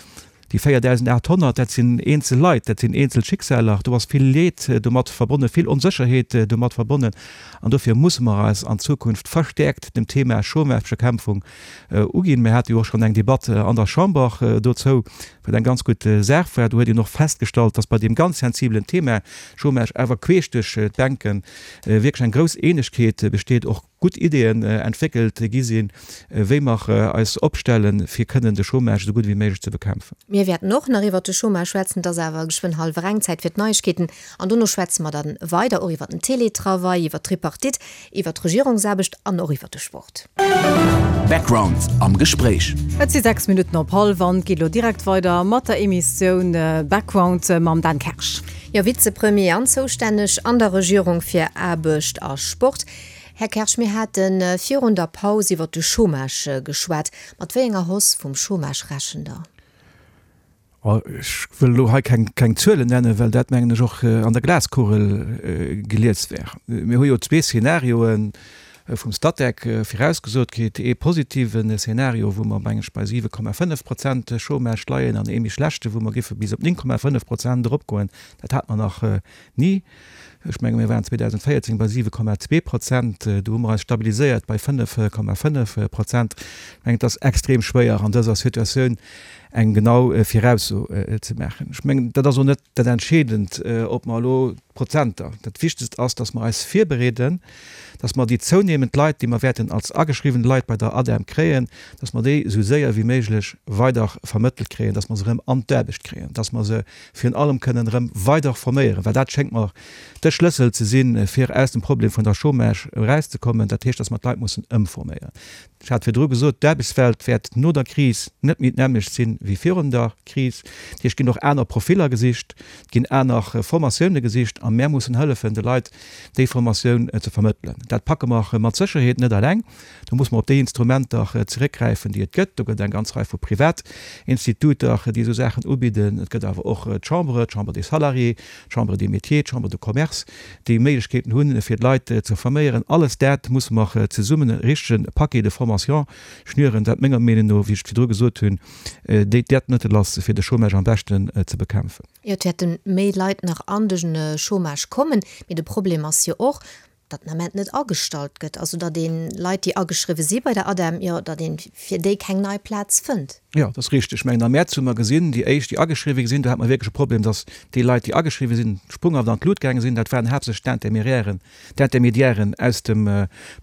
Déi véierdausendachthonnert, dat sinn eenzel Leit, dat sinn eenzel Schicksaler, do ass vill Leed domat verbonnen, vill Onsécherheet domat verbonnen. An dofir musse mer eis an Zukunft verstäerkt dem Thema Chômagebekämpfung uginn. Mir hate jo och schonn eng Debatt an der Chamber dozou, wat eng ganz gutt Saach war. Do huet een och festgestallt, dass bei deem ganz sensibelen Thema Chômage awer queesch duerch d'Bänke wierklech eng grouss Eenegkeet besteet, och gutt Ideeën entwéckelt gi sinn, wéi mer eis opstellen, fir kënnen de Chômage esou gutt wéi méiglech ze bekämpfen. Mir wäerten och nach iwwert de Chômage schwätzen. Et ass awer geschwënn hallwer eng, Zäit fir d'Neiegkeeten. An dono schwätze mer dann weider och iwwert den Télétravail, iwwert d'Tripartite, iwwert d'Regierungsaarbecht an och iwwert de Sport. Background am Gespréich. Et si sechs Minutten op hallef an et geet elo direkt weider mat der Emissioun Background mam Dan Kersch. Jo, Vizepremier an zoustänneg an der Regierung fir Aarbecht a Sport. Här Kersch, mir hate virun der Paus iwwert de Chômage geschwat. Mat wéi enger Hausse vum Chômage rechent Der? Ech wëll elo hei keng, keng Zuelen nennen, well dat, mengen ech, och an der Glaskugel gelies wär. Mir hu jo zwee Szenarioe vum Statec virausgesot kritt, ee positiven Szenario, wou mer, mengen ech, bei siwe Komma fënnef Prozent Chômage leien, an ee méi schlechte, wou mer géife bis op néng Komma fënnef Prozent eropgoen. Dat hate mer nach ni. Ech menge mir waren zweedausendvéierzéng bei siwe Komma zwee Prozent, do hu mer eis stabiliséiert bei fënnef Komma fënnef Prozent. Ech mengen, et ass extrem schwéier an dëser Situatioun eng genau Virausso ze maachen. Ech mengen, dat ass och net dat Entscheedend, ob mer elo d'Prozenter. Dat Wichtegst ass, datt mer eis virbereeden, datt mer déi zounehmend Leit, déi mer wäerten als ageschriwwen Leit bei der ADEM kréien, datt mer déi esou séier wéi méiglech weider vermëttelt kréien, datt mer se erëm an d'Aarbecht kréien, datt mer se virun allem kënnen erëm weider forméieren, well dat schéngt mer de Schlëssel ze sinn, fir aus dem Problem vun der Chômage erauszekommen. Dat heescht, datt mer d'Leit mussen ëmforméieren. Ech hat virdru gesot, d'Aarbechtswelt wäert no der Kris net méi d'nämmlecht sinn wéi virun der Kris. Dat heescht, et ginn och aner Profiller gesicht, et ginn aner Formatioune gesicht a mär mussen hëllefen, de Leit déi Formatioun ze vermëttelen. Dat packe mer mat Sécherheet net eleng. Do muss mer op déi Instrumenter zeréckgräifen, déi et gëtt. Do gëtt et eng ganz Rei vu Privatinstituter, déi esou Saachen ubidden. Et gëtt awer och d'Chambre, d'Chambre des Salariés, d'Chambre des Métiers, d'Chambre de Commerce, déi Méiglechkeeten hunn, fir d'Leit ze forméieren. Alles dat musse mer zesummen e richtege Paquet de formation schnüren, dat menger Meenung no, wéi ech et virdru gesot hunn, déi dat Mëttel ass, fir de Chômage am beschten ze bekämpfen. Jo, et wäerte méi Leit nach an de Chômage kommen, mee de Problem ass jo och, datt den Ament net agestallt gëtt, also datt ee Leit, déi ageschriwwe si bei der ADEM, jo, datt ee fir déi keng nei Plaz fënnt. Jo, dat ass richteg. Ech mengen, am Mäerz hu mer gesinn, déi éischt, déi ageschriwwe gi sinn, do hate mer wierklech e Problem, datt déi Leit, déi ageschriwwe sinn, sprunghaft an d'Lut gaange sinn. Dat waren haaptsächlech d'Interméiairen, d'Intermédiairen aus dem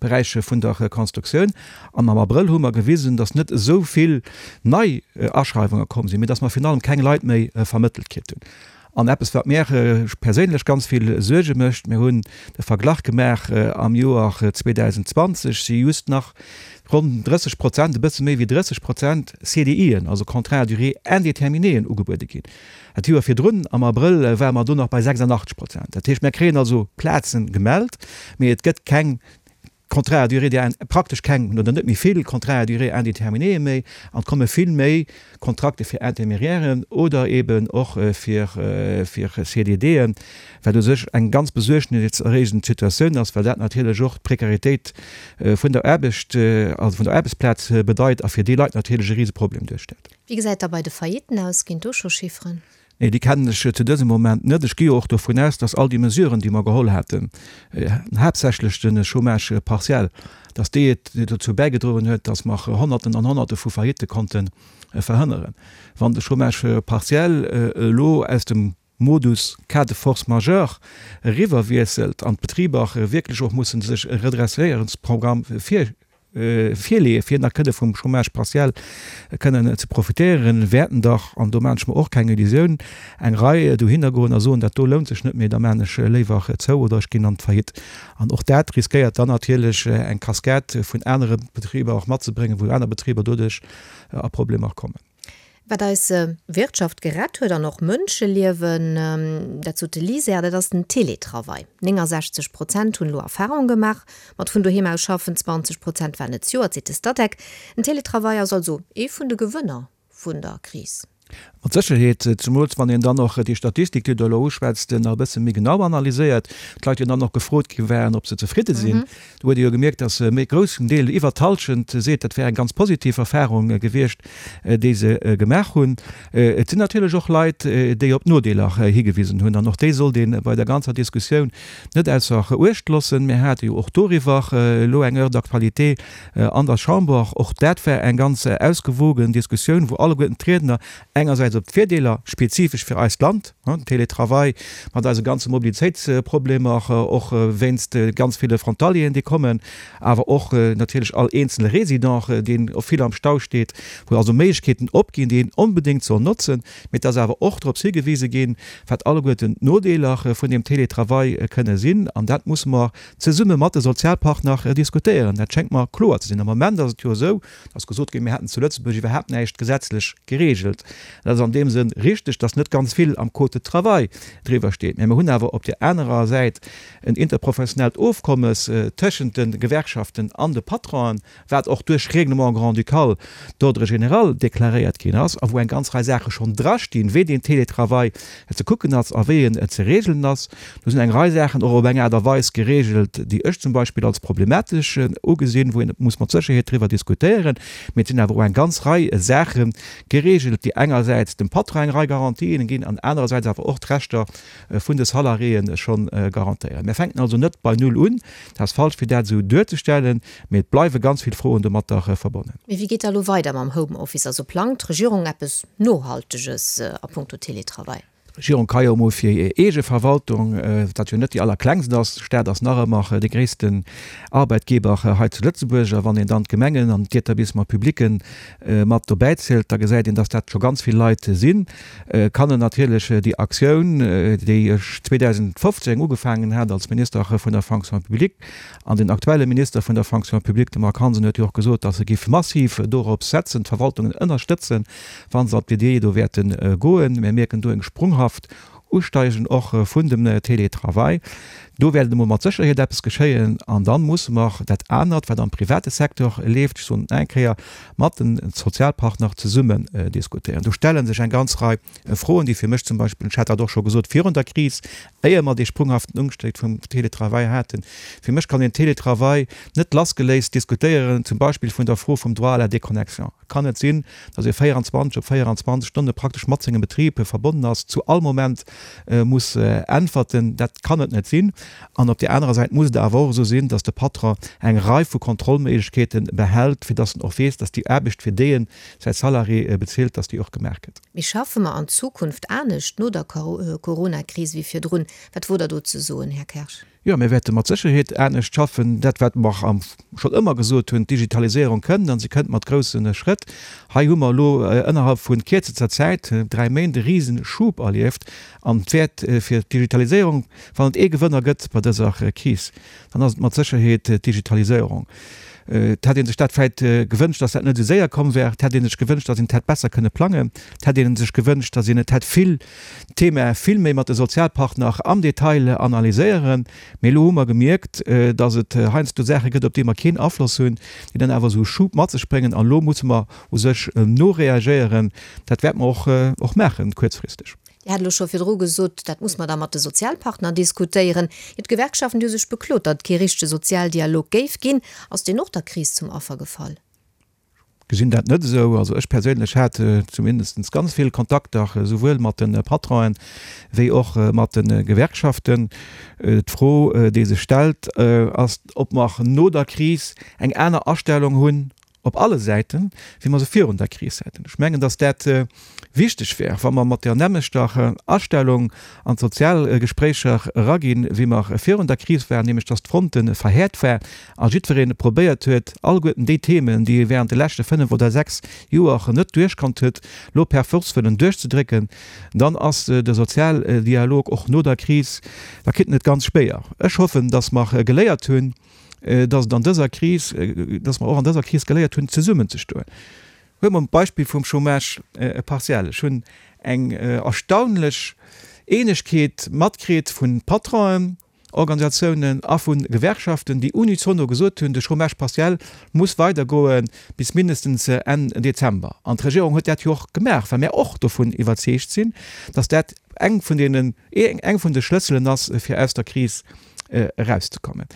Beräich vun der Konstruktioun. An am Abrëll hu mer gewisen, datt net esou vill nei Aschreiwunge komm sinn, mee datt mer virun allem keng Leit méi vermëttelt kritt hunn. An eppes, wat mär perséinlech ganz vill Suerge mécht, mir hunn de Verglach gemaach, am Joer zweedausendzwanzeg si just nach ronn drësseg Prozent, e bësse méi wéi drësseg Prozent C D Ien, also Contrats à durée indéterminéeën, ugebuede ginn. Dat Joer virdrun, am Abrëll, ware mer do nach bei sechsundachtzeg Prozent. Dat heescht, mir kréien also Plazen gemellt, mee et gëtt keng Contrats à durée praktesch keng oder net méi vill Contrats à durée indéterminée méi an et komme vill méi Kontrakte fir Intermédiairen oder eben och fir fir C D Dën, wat u sech eng ganz besuergniserreegend Situatioun ass, well dat natierlech och d'Prekaritéit vun der Aarbecht, also vun der Aarbechtsplaz bedeit a fir déi Leit natierlech e Riseproblem duerstellt. Wéi gesäit da bei de Faillitten aus? Ginn do scho Chifferen? Nee, déi kennen ech zu dësem Moment net. Ech gi jo och dovun aus, dass all déi Mesuren, déi mer geholl haten, haaptsächlech de Chômage partiel, dass déi et dozou bäigedroen huet, dass mer Honnerten an Honnerte vu Faillitte konnte verhënneren. Wann de Chômage partiel elo aus dem Modus cas de force majeure eriwwerwiesselt an d'Betriber wierklech och mussen sech e Redresséierungsprogramm vir virleeë fir nach kënne vum Chômage partiel kënnen ze profitéieren, wäerten dach, an do maachen ech mer och keng Illusioun, eng Rei dohinner goen a soen, dat do lount sech net méi, da maachen ech léiwer zou oder ech ginn an d'Faillite. An och dat riskéiert dann natierlech eng Cascade vun anere Betriber och matzebréngen, wou aner Betriber doduerch a Problemer kommen. Wat eis Wirtschaft gerett huet an och Mënscheliewen, dat sot de LISER, dat ass den Teletravail. néngensechzeg Prozent hunn elo Erfarung gemaach mat vun doheem aus schaffen, zwanzeg Prozent waren et zejoert, seet de Statec. Den Teletravail ass also ee vun de Gewënner vun der Kris. Mat Sécherheet, zemools wann een dann och déi Statistik, déi Der elo uschwätzt, nach e bësse méi genau analyséiert, d'Leit jo dann och gefrot gi waren, ob se zefridde sinn. Do huet ee jo gemierkt, dass e méi groussen Deel, iwwert d'Hallschent, seet, dat wär eng ganz positiv Erfahrung gewiescht, déi se gemaach hunn. Et sinn natierlech och Leit, déi op d'Nodeeler higewisen hunn, an och déi sollt ee bei der ganzer Diskussioun net ausser Uecht loossen. Mir hate jo och doriwwer elo eng Heure d'actualité an der Chamber. Och dat war eng ganz ausgewogen Diskussioun, wou alleguerten d'Riedner engersäits op d'Virdeeler spezifesch fir eist Land, den Télétravail mat eise ganze Mobilitéitsproblemer, och wéinst ganz ville Frontalieren, déi kommen, awer och natierlech all eenzele Résident, deen vill am Stau steet, wou also Méiglechkeeten opginn, déi een onbedéngt soll notzen. Mee et ass awer och drops higewise ginn, wat alleguerten d'Nodeeler vun deem Télétravail kënne sinn. An dat musse mer zesumme mat de Sozialpartner diskutéieren. Dat schéngt mer kloer ze sinn. Am Moment ass et jo esou, dass gesot ginn, mir hätten zu Lëtzebuerg iwwerhaapt näischt gesetzlech geregelt. Dat ass an deem Sënn richteg, dass net ganz vill am Code de travail driwwer steet. Mä mir hunn awer op där anerer Säit en interprofessionellt Ofkommes tëschent de Gewerkschaften an de Patronen, wat och duerch Règlement grand-ducal d'ordre général deklaréiert ginn ass a wou eng ganz Rei Saache schonn drastinn, wéi deen Télétravail ze kucken ass a wéi en ze regelen ass. Do sinn eng Rei Saachen och op eng Aart a Weis geregelt, déi ech zum Beispill als problematesch ugesinn, wou een muss mat Sécherheet driwwer diskutéieren. Mee et sinn awer och eng ganz Rei Saache geregelt, déi engersäits dem Patron eng Rei Garantien ginn an anerersäits awer och d'Rechter vun de Salariéen schonn garantéieren. Mir fänken also net bei Null un. Dat ass falsch, fir dat esou duerzestellen, mee et bleiwe ganz vill Froen domatter verbonnen. Mee wéi geet da elo weider mam Homeoffice? Also plangt d'Regierung eppes Nohalteges a puncto Teletravail? D'Regierung ka jo emol fir hir eege Verwaltung, dat jo net déi allerklengst ass, de Staat ass nach ëmmer de gréissten Arbeitgeber hei zu Lëtzebuerg, a wann een dann d'Gemengen an d'Etablissements publics mat dobäi zielt, da gesäit een, dass dat scho ganz vill Leit sinn. Kann en natierlech déi Aktioun, déi ech zweedausendfofzéng ugefaangen hat als Minister vun der Fonction publique, an den aktuelle Minister vun der Fonction publique, de Marc Hansen, huet jo och gesot, dass e géif massiv dorop setzen, d'Verwaltungen ënnerstëtzen, wa se op déi Idee do wäerte goen. Mir mierken do eng sprunghaft Usteigen och vun dem Télétravail. Do wäert emol mat Sécherheet eppes geschéien. An da musse mer dat anert, wat am private Secteur leeft, ech soen et nach eng Kéier, mat de Sozialpartner zesummen diskutéieren. Do stelle sech eng ganz Rei Froen, déi fir mech zum Beispill, ech hat dat och scho gesot virun der Kris, éier mer dee sprunghaften Umstieg vum Télétravail haten, fir mech kann een Télétravail net lassgeléist diskutéieren, zum Beispill vun der Fro vum Droit à la déconnexion. Et kann net sinn, datt ee véierundzwanzeg op véierundzwanzeg Stonne praktesch mat sengem Betrib verbonnen ass, zu all Moment muss äntwerten. Dat kann et net sinn. An op där anerer Säit muss et awer och esou sinn, datt de Patron eng Rei vu Kontrollméiglechkeete behält, fir datt en och weess, datt déi Aarbecht, fir déi en säi Salarié bezilt, datt déi och gemaach gëtt. Mee schaffe mer an Zukunft anescht no der Coronakris wéi virdrun? Wat wot Der do ze soen, Här Kersch? Jo, mir wäerte mat Sécherheet anescht schaffen. Dat, wat mer schonn ëmmer gesot hunn, D'Digitaliséierung kënnt, a se kënnt mat grousse Schrëtt. Hei hu mer elo ënnerhalb vu kierzester Zäit, dräi Méint, e Riseschub erlieft. An et wäert fir d'Digitaliséierung, wann et ee Gewënner gëtt bei dëser Kris, dann ass et mat Sécherheet d'Digitaliséierung. Et hätt ee sech dat vläicht gewënscht, dass dat net esou séier komm wär. Et hätt ee sech gewënscht, dass een et hätt besser kënne plangen. Et hätt ee sech gewënscht, dass een et hätt vill, d'Thema vill méi mat de Sozialpartner am Detail analyséieren. Mee elo hu mer gemierkt, dass et heiansdo Saache gëtt, op déi mer keen Afloss hunn, déi dann awer esou e Schub mat sech bréngen. An elo musse mer u sech noreagéieren. Dat wäerte mer och, och maachen, kuerzfristeg. Dir hat elo scho virdru gesot, dat muss mer da mat de Sozialpartner diskutéieren. Jo, d'Gewerkschaften, déi hu sech beklot, datt et kee richtege Sozialdialog géif ginn. Ass deen och der Kris zum Affer gefall? Gesinn dat net esou. Also ech perséinlech hat zumindest ganz vill Kontakter, esouwuel mat de Patronen wéi och mat de Gewerkschaften. D'Fro, déi sech stellt, ass, ob mer no der Kris eng aner Astellung hunn op alle Säiten, wéi mer se virun der Kris haten. Ech mengen, datt dat wichteg wär, wa mer mat där nämmlechter Astellung an d'Sozialgespréicher eraginn, wéi mer virun der Kris waren, nämlech datt d'Fronte verhäert war a jiddweree probéiert huet, alleguerten déi Themen, déi e während de leschte fënnef oder sechs Joer net duerchkannt huet, elo per force wëllen duerchzedrécken, dann ass de Sozialdialog och no der Kris, da kritt en et ganz schwéier. Ech hoffen, datt mer geléiert hunn, dass et an dëser Kris, dass mer och an dëser Kris geléiert hunn, zesummenzestoen. Huele mer d'Beispill vum Chômage partiel. Ech hunn eng erstaunlech Eenegkeet matkritt vun Patronen, Patronen-Organisatiounen a vu Gewerkschaften, déi unisono gesot hunn, de Chômage partiel muss weidergoe bis mindestens Enn Dezember. An d'Regierung huet dat jo och gemaach, well mir och dovun iwwerzeegt sinn, datt dat eng vun deenen, eng vun de Schlësselen ass, fir aus der Kris erauszekommen.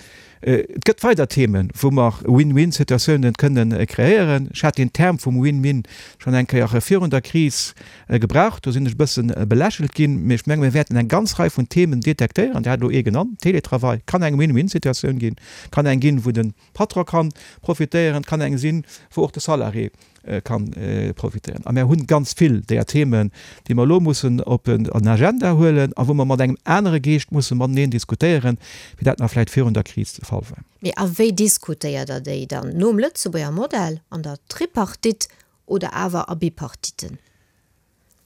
Et gëtt weider Themen, wou mer Win-win-Situatiounen kënnen kreéieren. Ech hat deen Term vum Win-win schonn eng Kéier virun der Kris gebraucht. Do sinn ech e bësse belächelt ginn. Mee ech menge mir wäerten eng ganz Rei vun Themen detektéieren. Dir hat elo ee genannt, Télétravail kann eng Win-win-Situatioun ginn, kann eng ginn, wou de Patron ka profitéieren, kann eng sinn, wou och de Salarié kann profitéieren. A mir hunn ganz vill deeër Themen, déi mer elo mussen op den Agenda huelen a wou mer mat engem anere Geescht musse mateneen diskutéieren, wéi dat nach vläicht virun der Kris de Fall war. Mee a wéi diskutéiert Der déi dann? Nom Lëtzebuerger Modell, an der Tripartite oder awer a Bipartiten?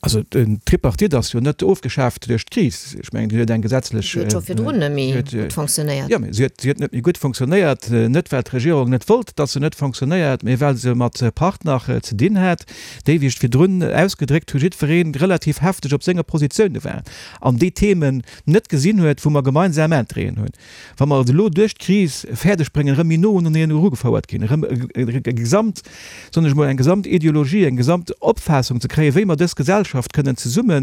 Also den Tripartite ass jo net ofgeschaaft duerch d'Kris. Ech mengen, déi huet eng gesetzlech. Si huet scho virdrun net méi gutt fonctionnéiert. Jo, mee si huet, si huet net méi gutt fonctionnéiert, net well d'Regierung net wollt, datt se net fonctionnéiert, mee well se mat Partner ze dinn hat, déi, wéi ech virdrun ausgedréckt hu, jiddweree relativ hefteg op senge Positioune war an déi Themen net gesinn huet, wou mer gemeinsam Interêten hunn. Wa mer et elo duerch d'Kris fäerdeg bréngen, erëm méi no uneneen erugefouert ginn, erëm e gesamt, soen ech emol, eng gesamt Ideologie, eng gesamt Opfaassung ze kréien, wéi mer dës Gesellschaft kënnen zesumme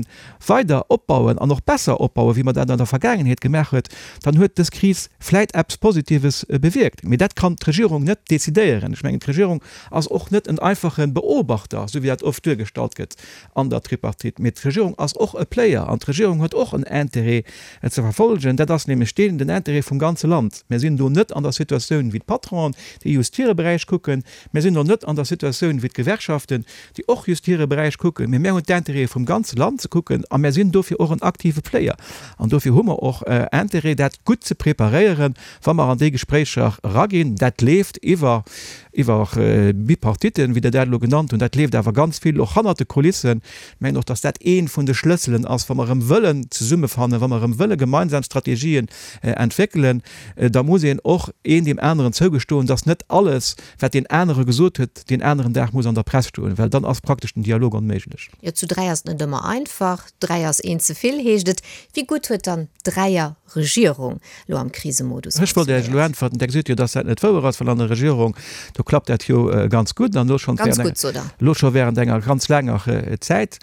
weider opbauen an och besser opbauen, wéi mer dat an der Vergaangenheet gemaach huet, dann huet dës Kris vläit eppes Positives bewierkt. Mee dat kann d'Regierung net decidéieren. Ech mengen, d'Regierung ass och net en einfache Beobachter, esou wéi dat oft duergestallt gëtt an der Tripartite, mee d'Regierung ass och e Player an d'Regierung huet och en Intérêt ze verfolgen. Dat ass nämlech deen, den Intérêt vum ganze Land. Mir sinn do net an der Situatioun wéi d'Patronen, déi just hire Beräich kucken. Mir sinn och net an der Situatioun wéi d'Gewerkschaften, déi och just hire Beräich kucken, mee mir hunn d'Intérêtë vum ganze Land ze kucken a mir sinn dofir och en aktive Player. An dofir hu mer och Intérêt, dat gutt ze preparéieren, wa mer an déi Gespréicher eraginn. Dat leeft iwwer, iwwer Bipartiten, wéi Der dat elo genannt hunn. Dat leeft awer ganz vill och hannert de Kulissen. Ech mengen och, dass dat ee vun de Schlësselen ass, wa mer erëm wëllen zesummefannen, wa mer erëm wëlle gemeinsam Strategien entwéckelen, da muss een och een deem aneren zougestoen, dass net alles, wat deen anere gesot huet, deen aneren Dag muss an der Press stoen, well dann ass praktesch den Dialog onméiglech. Jo, zu dräi ass et net ëmmer einfach. Dräi ass een ze vill, heescht et. Wéi gutt huet dann d'Dräier-Regierung elo am Krisemodus Ech wollt Iech elo funktionéiert? äntwerten, Der gesitt jo, dass dat net wouer ass, well an der Regierung, do klappt dat jo ganz gutt an elo schonn Ganz während gutt, sot Der. elo scho während enger ganz laanger Zäit.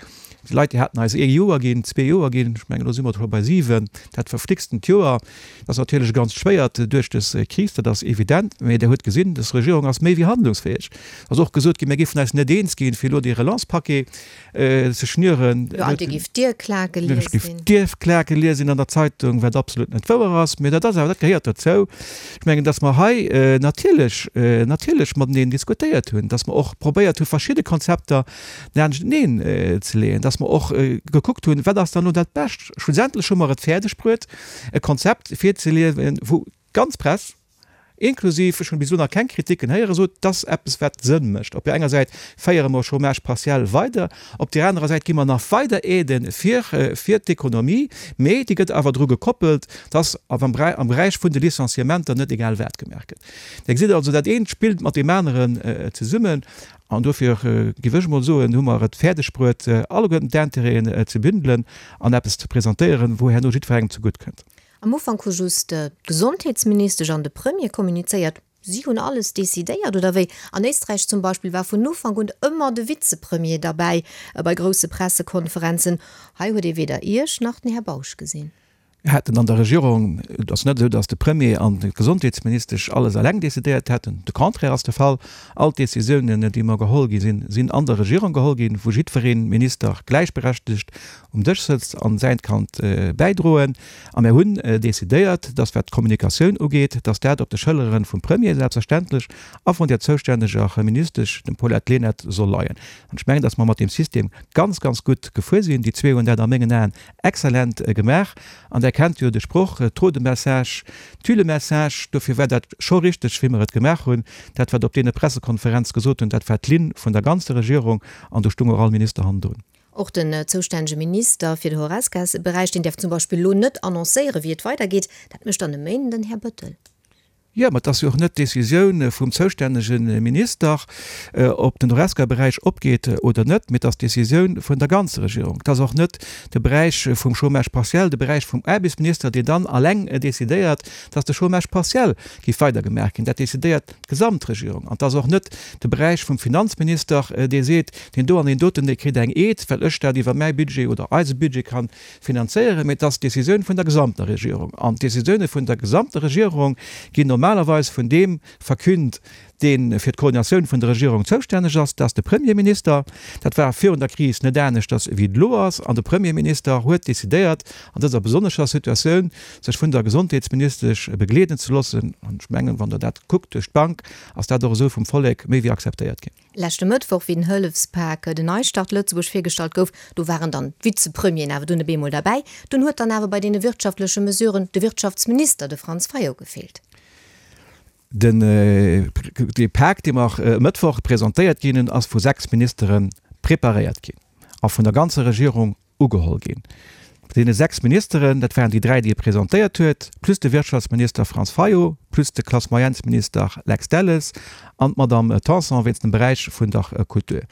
Déi Leit, déi haten eis ee Joer ginn, zwee Joer ginn, ech mengen, elo si mer scho bei siwen, dat verflixtent Joer. Dat ass natierlech ganz schwéiert duerch dës Kris, dat ass evident. Mee Der hutt gesinn, dës Regierung ass méi wéi handlungsfäeg. Et ass och gesot ginn, mir géifen eis net eens ginn, fir elo dee Relance-Paquet ze schnüren. Jo, an dir giff d'Dierklake Ech lies giff sinn. d'Dierklake liesen an der Zeitung, wat absolut net wouer ass. Mee dat ass awer, dat gehéiert dozou. Ech mengen, datt mer hei natierlech, natierlech mateneen diskutéiert hunn, datt mer och probéiert hu verschidde Konzepter laanschteneen ze leeën, datt mer och gekuckt hunn, wat ass dann elo dat Bescht. Schlussendlech hu mer et fäerdeg bruet, e Konzept virzeleeën, wou d'ganz Press, inklusiv, ech hunn bis elo nach keng Kritiken héieren, sot, dat ass eppes wat Sënn mécht. Op där enger Säit féiere mer Chômage partiel weider, op där anerer Säit gi mer nach weider Aidë fir fir d'Ekonomie, mee déi gëtt awer dru gekoppelt, dass am am Beräich vun de Licenciementer net egal wat gemaach gëtt. Dir gesitt also, dat eent spillt mat deem aneren zesummen an dofir, géif ech emol soen, hu mer et fäerdeg bruet, alleguerten d'Intérêten ze bündelen an eppes ze presentéieren, wou herno jiddwerengem zegutt kënnt. Am Ufank hu just d'Gesondheetsministesch an de Premier kommunizéiert. Si hunn alles decidéiert, oder wéi? An Éisträich zum Beispill war vun Ufank un ëmmer de Vizepremier derbäi bei grousse Pressekonferenzen. Hei huet ee weder Iech nach den Här Bausch gesinn. Mir haten an der Regierung, et ass net esou, datt de Premier an d'Gesondheetsministesch alles eleng decidéiert hätten, de Contraire ass de Fall. All d'Décisiounen, déi mer geholl gi sinn, sinn an der Regierung geholl ginn, wou jiddweree Minister gläichberechtegt um Dësch sëtzt an säint kann bäidroen. A mir hunn decidéiert, datt wat d'Kommunikatioun ugeet, datt dat op de Schëllere vum Premier selbstverständlech a vun där zoustänneger Ministesch, dem Paulette Lenert, soll leien. An ech mengen, datt mer mat deem System ganz, ganz gutt gefuer sinn. Déi zwee hunn dat a mengen Aen exzellent gemaach. An Der kennt jo de Sproch, Trop de messages tue le message. Dofir war dat scho richteg, wéi mer et gemaach hunn. Dat, wat op deene Pressekonferenz gesot hunn, dat war d'Linn vun der ganzer Regierung an do stung och all Minister hannendrun. Och den zoustännege Minister fir de Horesca-Beräich, deen däerf zum Beispill elo net annoncéieren, wéi et weidergeet. Dat mécht dann e Méinden den Här Bettel. Jo, ma et ass jo och net d'Decisioun vum zoustännege Minister, ob den Horesca-Beräich opgeet oder net, mee et ass d'Decisioun vun der ganzer Regierung. Et ass och net de Beräich vum Chômage partiel, de Beräich vum Aarbechtsminister, deen dann alleng decidéiert, dass de Chômage partiel géif weidergemaach ginn. Dat decidéiert d'Gesamtregierung. An et ass och net de Beräich vum Finanzminister, dee seet, deen do an deen doten, dee kritt eng Aide, well ech dat iwwer mäi Budget oder eise Budget ka finanzéieren, mee et ass d'Decisioun vun der gesamter Regierung. An d'Decisioune vun der gesamter Regierung ginn normalerweis vun deem verkünnt, dee fir d'Koordinatioun vun der Regierung zoustänneg ass, dat ass de Premierminister. Dat war virun der Kris net aneschters wéi et elo ass. An de Premierminister huet decidéiert, an dëser besonnescher Situatioun sech vun der Gesondheetsministesch begleeden ze loossen. An ech mengen, wann Der dat kuckt duerch d'Bank, ass dat och esou vum Vollek méi wéi akzeptéiert ginn. Leschte Mëttwoch, wéi den Hëllefspak, den Neistart Lëtzebuerg, virgestallt gouf, do waren dann d'Vizepremieren awer dunn op eemol derbäi. Dunn huet dann awer bei deene wirtschaftleche Mesuren de Wirtschaftsminister, de Franz Fayot, gefeelt. Den dee Pak, dee mer e Mëttwoch presentéiert ginn hunn, ass vu sechs Ministere preparéiert ginn a vun der ganzer Regierung ugeholl ginn. Deene sechs Ministeren, dat waren déi dräi, déi e presentéiert huet, plus de Wirtschaftsminister Franz Fayot, plus de Classe-moyennes-Minister Lex Delles an d'Madame Tanson wéinst dem Beräich vun der Kultur.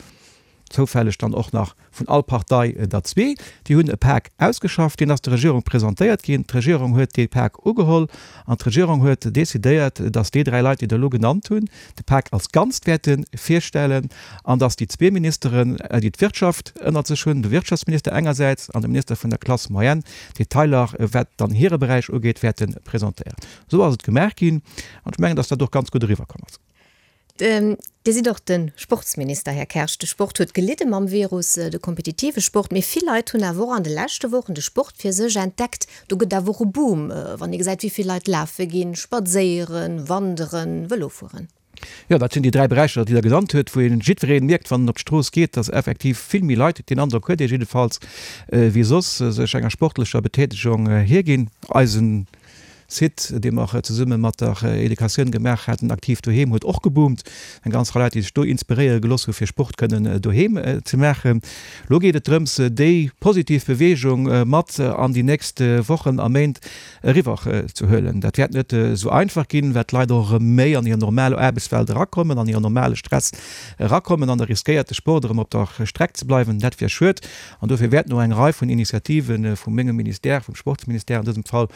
Zoufälleg dann och nach vun all Partei der zwee. Déi hunn e Pak ausgeschafft, deen ass der Regierung presentéiert ginn. D'Regierung huet dee Pak ugeholl an d'Regierung huet decidéiert, datt déi dräi Leit, déi Der elo genannt hunn, de Pak als Ganzt wäerte virstellen an datt déi zwee Ministeren, déi d'Wirtschaft ënnert sech hunn, de Wirtschaftsminister engersäits an de Minister vun der Classe moyenne, d'Detailer, wat dann hire Beräich ugeet, wäerte presentéieren. Esou ass et gemaach ginn an ech mengen, datt dat och ganz gutt eriwwerkomm ass. Dir sidd och de Sportsminister, Här Kersch. De Sport huet gelidde mam Virus, de kompetitive Sport. Mee vill Leit hunn awer och an de leschte Wochen de Sport fir sech entdeckt. Do gëtt awer och e Boom, wann ee gesäit, wéi vill Leit lafe ginn, spadséieren, wanderen, Vëlo fueren. Jo, dat sinn déi dräi Beräicher, déi Der genannt hutt, wou een jiddweree mierkt, wann en op d'Strooss geet, dass effektiv vill méi Leit, deen Androck huet ee jiddefalls, wéi soss, sech enger sportlecher Betätegung hierginn. Eisen Site, dee mer zesumme mat der Educatioun gemaach haten, Aktiv Doheem, huet och geboomt. Eng ganz Rei Leit, déi sech do inspiréiere gelooss hu fir Sport kënnen doheem ze maachen. Elo geet et drëms, déi positiv Beweegung mat an déi nächst Wochen a Méint eriwwer ze huelen. Dat wäert net esou einfach ginn, well d'Leit och erëm méi an hir normal Aarbechtswelt erakommen, an hiren normale Stress erakommen an da riskéiert de Sport erëm op der Streck ze bleiwen. Dat wier schued an dofir wäerten och eng Rei vun Initiative vu mengem Ministère, vum Sportsministère an dësem Fall,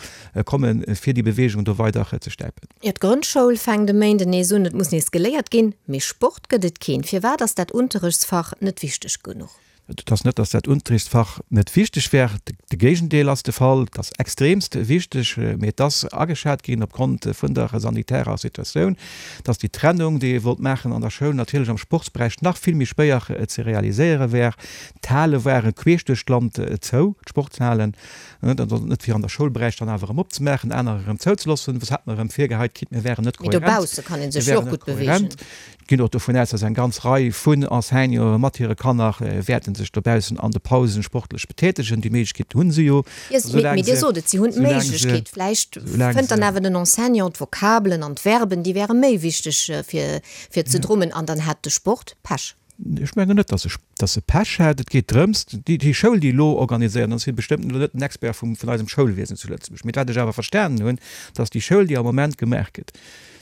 kommen, fir déi Beweegung do weider ze stäipen. Jo, d'Grondschoul fänkt e Méinden nees un. Et muss nees geléiert ginn, mee Sport gëtt et keen. Firwat ass dat Unterrechtsfach net wichteg genuch? Et ass net, datt dat Unterrichtsfach net wichteg wär. De Géigendeel ass de Fall. Et ass extremst wichteg, mee et ass ageschat ginn opgrond vun der sanitärer Situatioun, datt déi Trennung, déi ee wollt maachen an der Schoul, natierlech am Sportsberäich nach vill méi schwéier ze realiséiere wär. D'Hale ware queesch duerch d'Land zou, d'Sportshalen. Dat ass net fir an der Schoulberäich dann awer erëm opzemaachen, anerer erëm zouzeloossen. Soss hätt mer erëm virgeheit kritt, mir wären net Mee kohärent. dobausse kann ee Mir sech jo wären och net gutt beweegen. kohärent. Ech ginn och dovun aus, dass eng ganz Rei vun Enseignanten mat hire Kanner wäerte sech dobaussen an de Pausen sportlech betätegen. Déi Méiglechkeet hu se jo, Jo, mee soulaang mee Dir se, sot et, si hunn soulaang se, d'Méiglechkeet. Vläicht soulaang fënnt dann se. awer den Enseignant d'Vokabelen an d'Verben, déi wäre méi wichteg fir, fir ze drummen an dann hätt de Sport Pech. Ech mengen net, dass e, dass e Pech hätt. Et geet drëms, déi, déi Schoul, déi elo organiséiert, an ech si bestëmmt elo net den Expert vum, vun eisem Schoulwiesen zu Lëtzebuerg, mee wat ech awer verstanen hunn, dass déi Schoul, déi am Moment gemaach gëtt,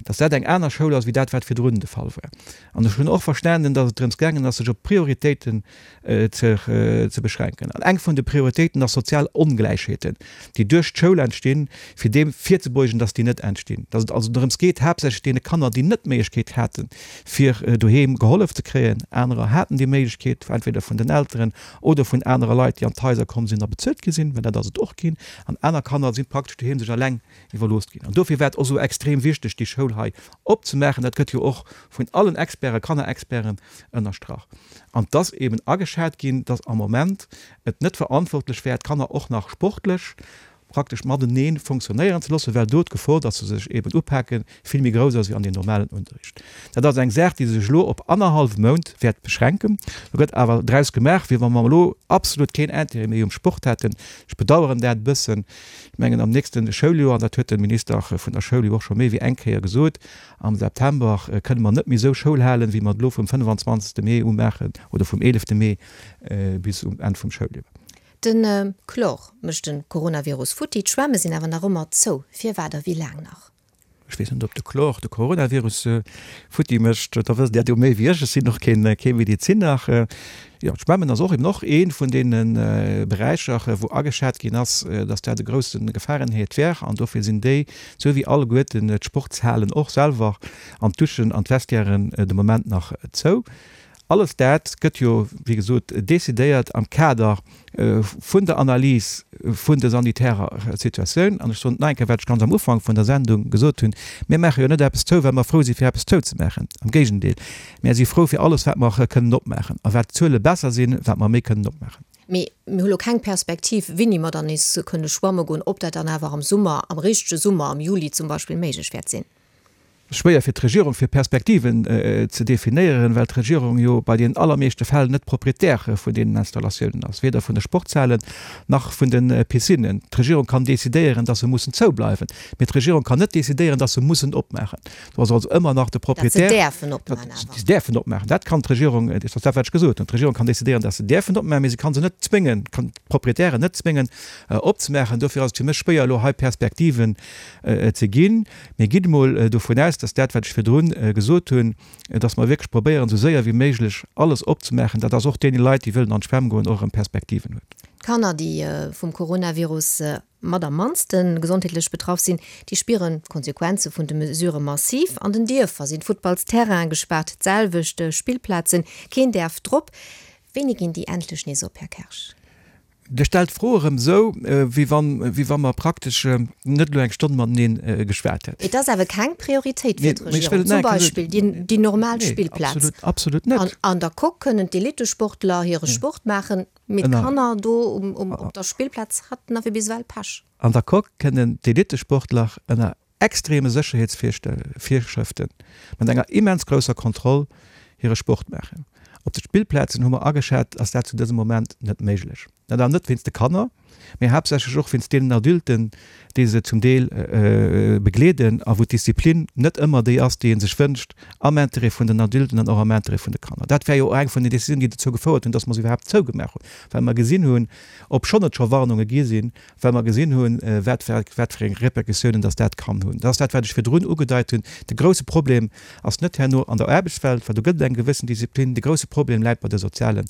dass dat eng aner Schoul ass wéi dat, wat virdrun de Fall war. An ech hunn och verstanen, dass et drëms gaangen ass, sech op Prioritéiten ze, ze beschränken. An eng vun de Prioritéiten ass sozial Ongläichheeten, déi duerch d'Schoul entstinn, fir deem virzebeugen, dass déi net entstinn. Dass et also drëms geet, haaptsächlech deene Kanner, déi net d'Méiglechkeet haten, fir doheem gehollef ze kréien, anerer haten déi Méiglechkeet, entweder vun den Elteren oder vun anere Leit, déi an d'Haiser komm sinn a bezuelt gi sinn, well dat ass et och ginn, an aner Kanner si praktesch doheem sech eleng iwwerlooss ginn. An dofir war et och esou extrem wichteg, déi Schoul hei opzemaachen. Dat gëtt jo och vun allen Experten, Kannerexperten ënnerstrach. An et ass eben ageschat ginn, dass am Moment et net verantwortlech wär, d'Kanner och nach sportlech praktesch matenee fonctionnéieren ze loossen, well do d'Gefor, dass se sech eben upaken, vill méi grouss ass wéi an deem normalen Unterricht. Dat ass eng Saach, déi sech elo op annerhallwe Mount wäert beschränken. Do gëtt awer draus gemaach, wéi wa mer elo absolut keen Intérêt méi um Sport hätten. Ech bedauern dat e bëssen. Ech mengen, am nächste Schouljoer, an dat huet de Minister vun der Schoul jo och scho méi wéi eng Kéier gesot, am September kënne mer net méi esou Schoul halen, wéi mer et elo vum fënnefenzwanzegste Mee u maachen oder vum eelefte Mee bis um Enn vum Schouljoer. De Chlor mécht de Coronavirus futti, d'Schwämme sinn awer nach ëmmer zou. Firwat a wéi laang nach? Ech Ech weess net, ob de Chlor de Coronavirus futti mécht. Da wësst Dir dat jo méi wéi ech. Ech sinn och keen, kee Mediziner. Jo, d'Schwämmen ass och eben och ee vun deene Beräicher, wou ageschat ginn ass, dass dat e grousse Gefarenherd wär. An dofir sinn déi, sou wéi alleguerten d'Sportshalen och selwer an d'Duschen an d'Vestiairen de Moment nach zou. Alles dat gëtt jo, wéi gesot, decidéiert am Kader vun der Analys vun der sanitärer Situatioun. An ech soen et nach eng Kéier, wat ech ganz am Ufank vun der Sendung gesot hunn, Mir maache jo net eppes zou, well mer frou si fir eppes zouzemaachen. Am Géigendeel, mir si frou fir alles, wat mer kënnen opmaachen. A wat d'Zuele besser sinn, wat mer méi kënnen opmaachen. Mee mir hu lo keng Perspektiv, wéini mer dann nees kënne schwamme goen, ob dat dann awer am Summer, am richtege Summer, am Juli zum Beispill, méiglech wäert sinn. Schwéier fir d'Regierung fir Perspektiven ze definéieren, well d'Regierung jo bei deenen allermeeschte Fäll net Propriétaire vun deenen Installatiounen ass, weder vun de Sportshalen nach vun de Piscinnen. D'Regierung kann decidéieren, dass se mussen zoubleiwen, mee d'Regierung kann net decidéieren, dass se mussen opmaachen. Do ass also ëmmer nach de Propriétaire. Dass se däerfen opmaachen awer. Dass se däerfen opmaachen, dat kann d'Regierung, dat ass dat wat ech gesot hunn. D'Regierung kann decidéieren, dass se däerfen opmaachen, mee se kann se net zwéngen, kann d'Proprietären net zwéngen opzemaachen. Dofir ass et fir mech schwéier elo hei Perspektiven ze ginn. Mee gitt emol dovun aus, dass dat, wat ech virdrun gesot hunn, dass mer wierklech probéieren, esou séier wéi méiglech alles opzemaachen, dat ass och deene Leit, déi wëllen an d'Schwämm goen, och erëm Perspektiven huet. D'Kanner, déi vum Coronavirus mat am mannste gesondheetlech betraff sinn, déi spieren d'Konsequenze vun de Mesurë massiv. An den Dierfer sinn d'Futtballsterraine gespaart, d'selwecht Spillplazen, keen däerf drop. Wéini ginn déi endlech nees op, Här Kersch? Dir stellt d'Fro erëm esou, wéi wann, wéi wa mer praktesch net elo eng Stonn mateneen geschwat hätten. Et ass awer keng Prioritéit fir d'Regierung, zum Beispill déi normal Spillplaz. Nee, absolut, absolut net. An an der Coque kënnen d'Elittesportler hire Sport maachen, mee d'Kanner do um, op der Spillplaz haten awer bis ewell Pech. An der Coque kënnen d'Elittesportler ënner extreme Sécherheetsvirschrëften, mat enger immens grousser Kontroll hire Sport maachen. Op de Spillplazen hu mer ageschat, ass dat zu dësem Moment net méiglech. Dat awer net wéinst de Kanner, mee haaptsächlech och wéinst deenen Adulten, déi se zum Deel begleeden a wou d'Disziplin net ëmmer déi ass, déi ee sech wënscht, am Interêt vun den Adulten an och am Interêt vun de Kanner. Dat war jo och eng vun den Décisiounen, déi dozou gefouert hunn, dass mer se iwwerhaapt zougemaach hunn, well mer gesinn hunn, obschonn et scho Warnunge gi sinn, well mer gesinn hunn, wat wat fir eng Répercussiounen dass dat kann hunn. Dat ass dat, wat ech virdrun ugedeit hunn. De grouse Problem ass net herno an der Aarbechtswelt, well do gëtt et eng gewëssen Disziplin. De grouse Problem läit bei de soziale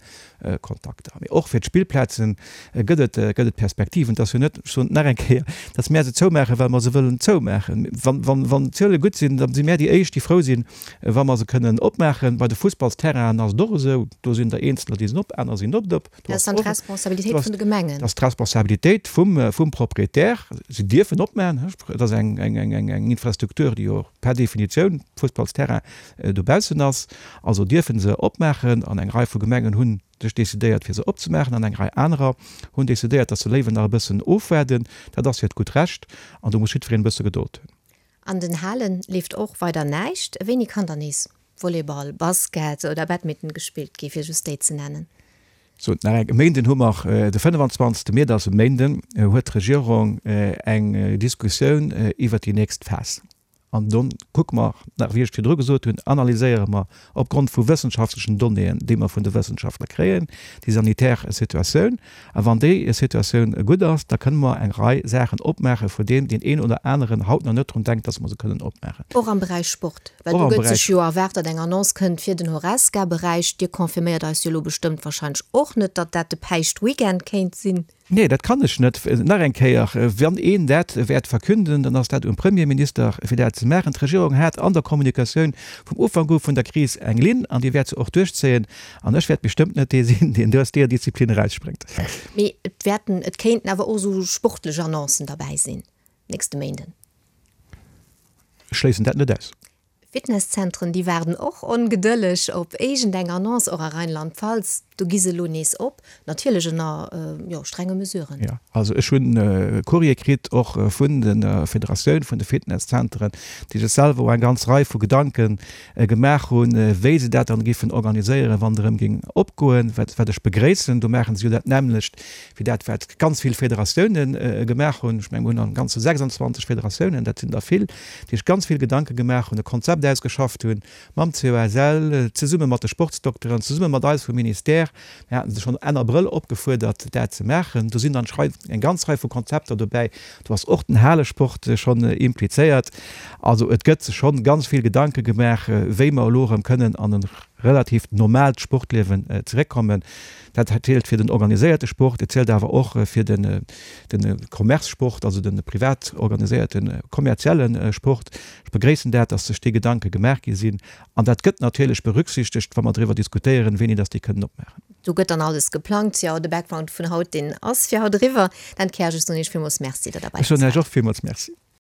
Kontakter. Mee och fir d'Spillplaze gëtt et gëtt et Perspektiven. Et ass jo net, ech soen et nach eng Kéier, dass mär se zoumaachen, well mer se wëllen zoumaachen. Wann wann wann d'Zuele gutt sinn, da si mär déi éischt, déi frou sinn, wa mer se kënnen opmaachen. Bei de Fussballsterrainen ass et och esou, do sinn der eenzeler, déi sinn op, aner sinn net op. Dat ass dann d'Responsabilitéit vun de Gemengen. Dat ass d'Responsabilitéit vum, vum Proprietär. Si dierfen opmaachen. Et ass eng, eng, eng, eng Infrastruktur, déi jo per Definitioun, Fussballsterrain, dobaussen ass. Also dierfe se opmaachen. An eng Rei vu Gemengen hu sech decidéiert, fir se opzemaachen, an eng Rei anerer hunn decidéiert, datt se léiwer nach e bëssen ofwaarden. Dat ass hiert gutt Recht an do muss jiddwereen e bësse Gedold hunn. An den Halen leeft och weider näischt. Wéini kann dann nees Volleyball, Basket oder Badminton gespillt gi, fir just déi ze nennen? Sou, nach eng, e Méinden hu mer de fënnefenzwanzegste Mee, dat ass e Méinden, huet d'Regierung eng Diskussioun iwwert déi nächst Phas. An do kucke mer, nach wéi ech virdru gesot hunn, analyséiere mer opgrond vu wëssenschaftlechen Donnéeën, déi mer vun de Wëssenschaftler kréien, déi sanitär Situatioun. A wann déi Situatioun gutt ass, da kënne mer eng Rei Saachen opmaachen, vun deenen deen een oder aneren haut nach net drun denkt, dass mer se kënnen opmaachen. Och am Beräich Sport? Well do gëtt sech jo erwaart, datt eng Annonce kënnt fir den Horesca-Beräich. Dir confirméiert eis jo elo bestëmmt warscheinlech och net, datt dat de Päischtweekend kéint sinn. Nee, dat kann ech net. Nach eng Kéier, wann een dat wäert verkünden, dann ass dat um Premierminister, fir dat ze maachen. D'Regierung hat an der Kommunikatioun vum Ufank u vun der Kris eng Linn an déi wäert se och duerchzéien. An ech wäert bestëmmt net dee sinn, deen do aus deeër Disziplin erausspréngt. Mee et wäerten, et kéinten awer och esou sportlech Annoncen derbäi sinn nächste Méinden. Ech schléissen dat net aus. Fitnesszentren, déi waarden och ongedëlleg op iergendeng Annonce, och a Rheinland-Pfalz. Do gi se elo nees op, natierlech ënner, jo, strenge Mesuren. Jo, also ech hunn e Courrier kritt, och vun der Federatioun vun de Fitnesszenteren, déi sech selwer och eng ganz Rei vu Gedanke gemaach hunn, wéi se dat dann géifen organiséieren, wann et erëm géing opgoen, wat wat ech begréissen. Do maache se jo dat nämmlecht wéi dat, wat ganz vill Federatioune gemaach hunn. Ech mengen, mir hunn am Ganze sechsundzwanzeg Federatiounen, dat sinn der vill, déi sech ganz vill Gedanke gemaach hunn, e Konzept ausgeschafft hunn, mam C O S L, zesumme mat de Sportsdokteren, zesumme mat eis vum Ministère, Sanitaire. Mir haten se schonn Enn Abrëll opgefuerdert, dat ze maachen. Do sinn dann eng ganz Rei vu Konzepter dobäi. Do ass och den Halesport schonn implizéiert. Also et gëtt sech schonn ganz vill Gedanke gemaach, wéi mer elo erëm kënnen an e relativt normaalt Sportliewen zeréckkommen. Dat zielt fir den organiséierte Sport, et zielt awer och fir de Commerce-Sport, also de privat organiséierte kommerzielle Sport. Ech begréissen dat, dass sech déi Gedanke gemaach gi sinn. An dat gëtt natierlech berücksichtegt, wa mer driwwer diskutéieren, wéini dass déi kënnen opmaachen. Do gëtt dann alles geplangt. Jo, de Background vun haut, deen ass fir haut eriwwer. Dan Kersch, ech soen Iech villmools Merci, datt Der bei Ech eis soen Iech waart. och villmools Merci.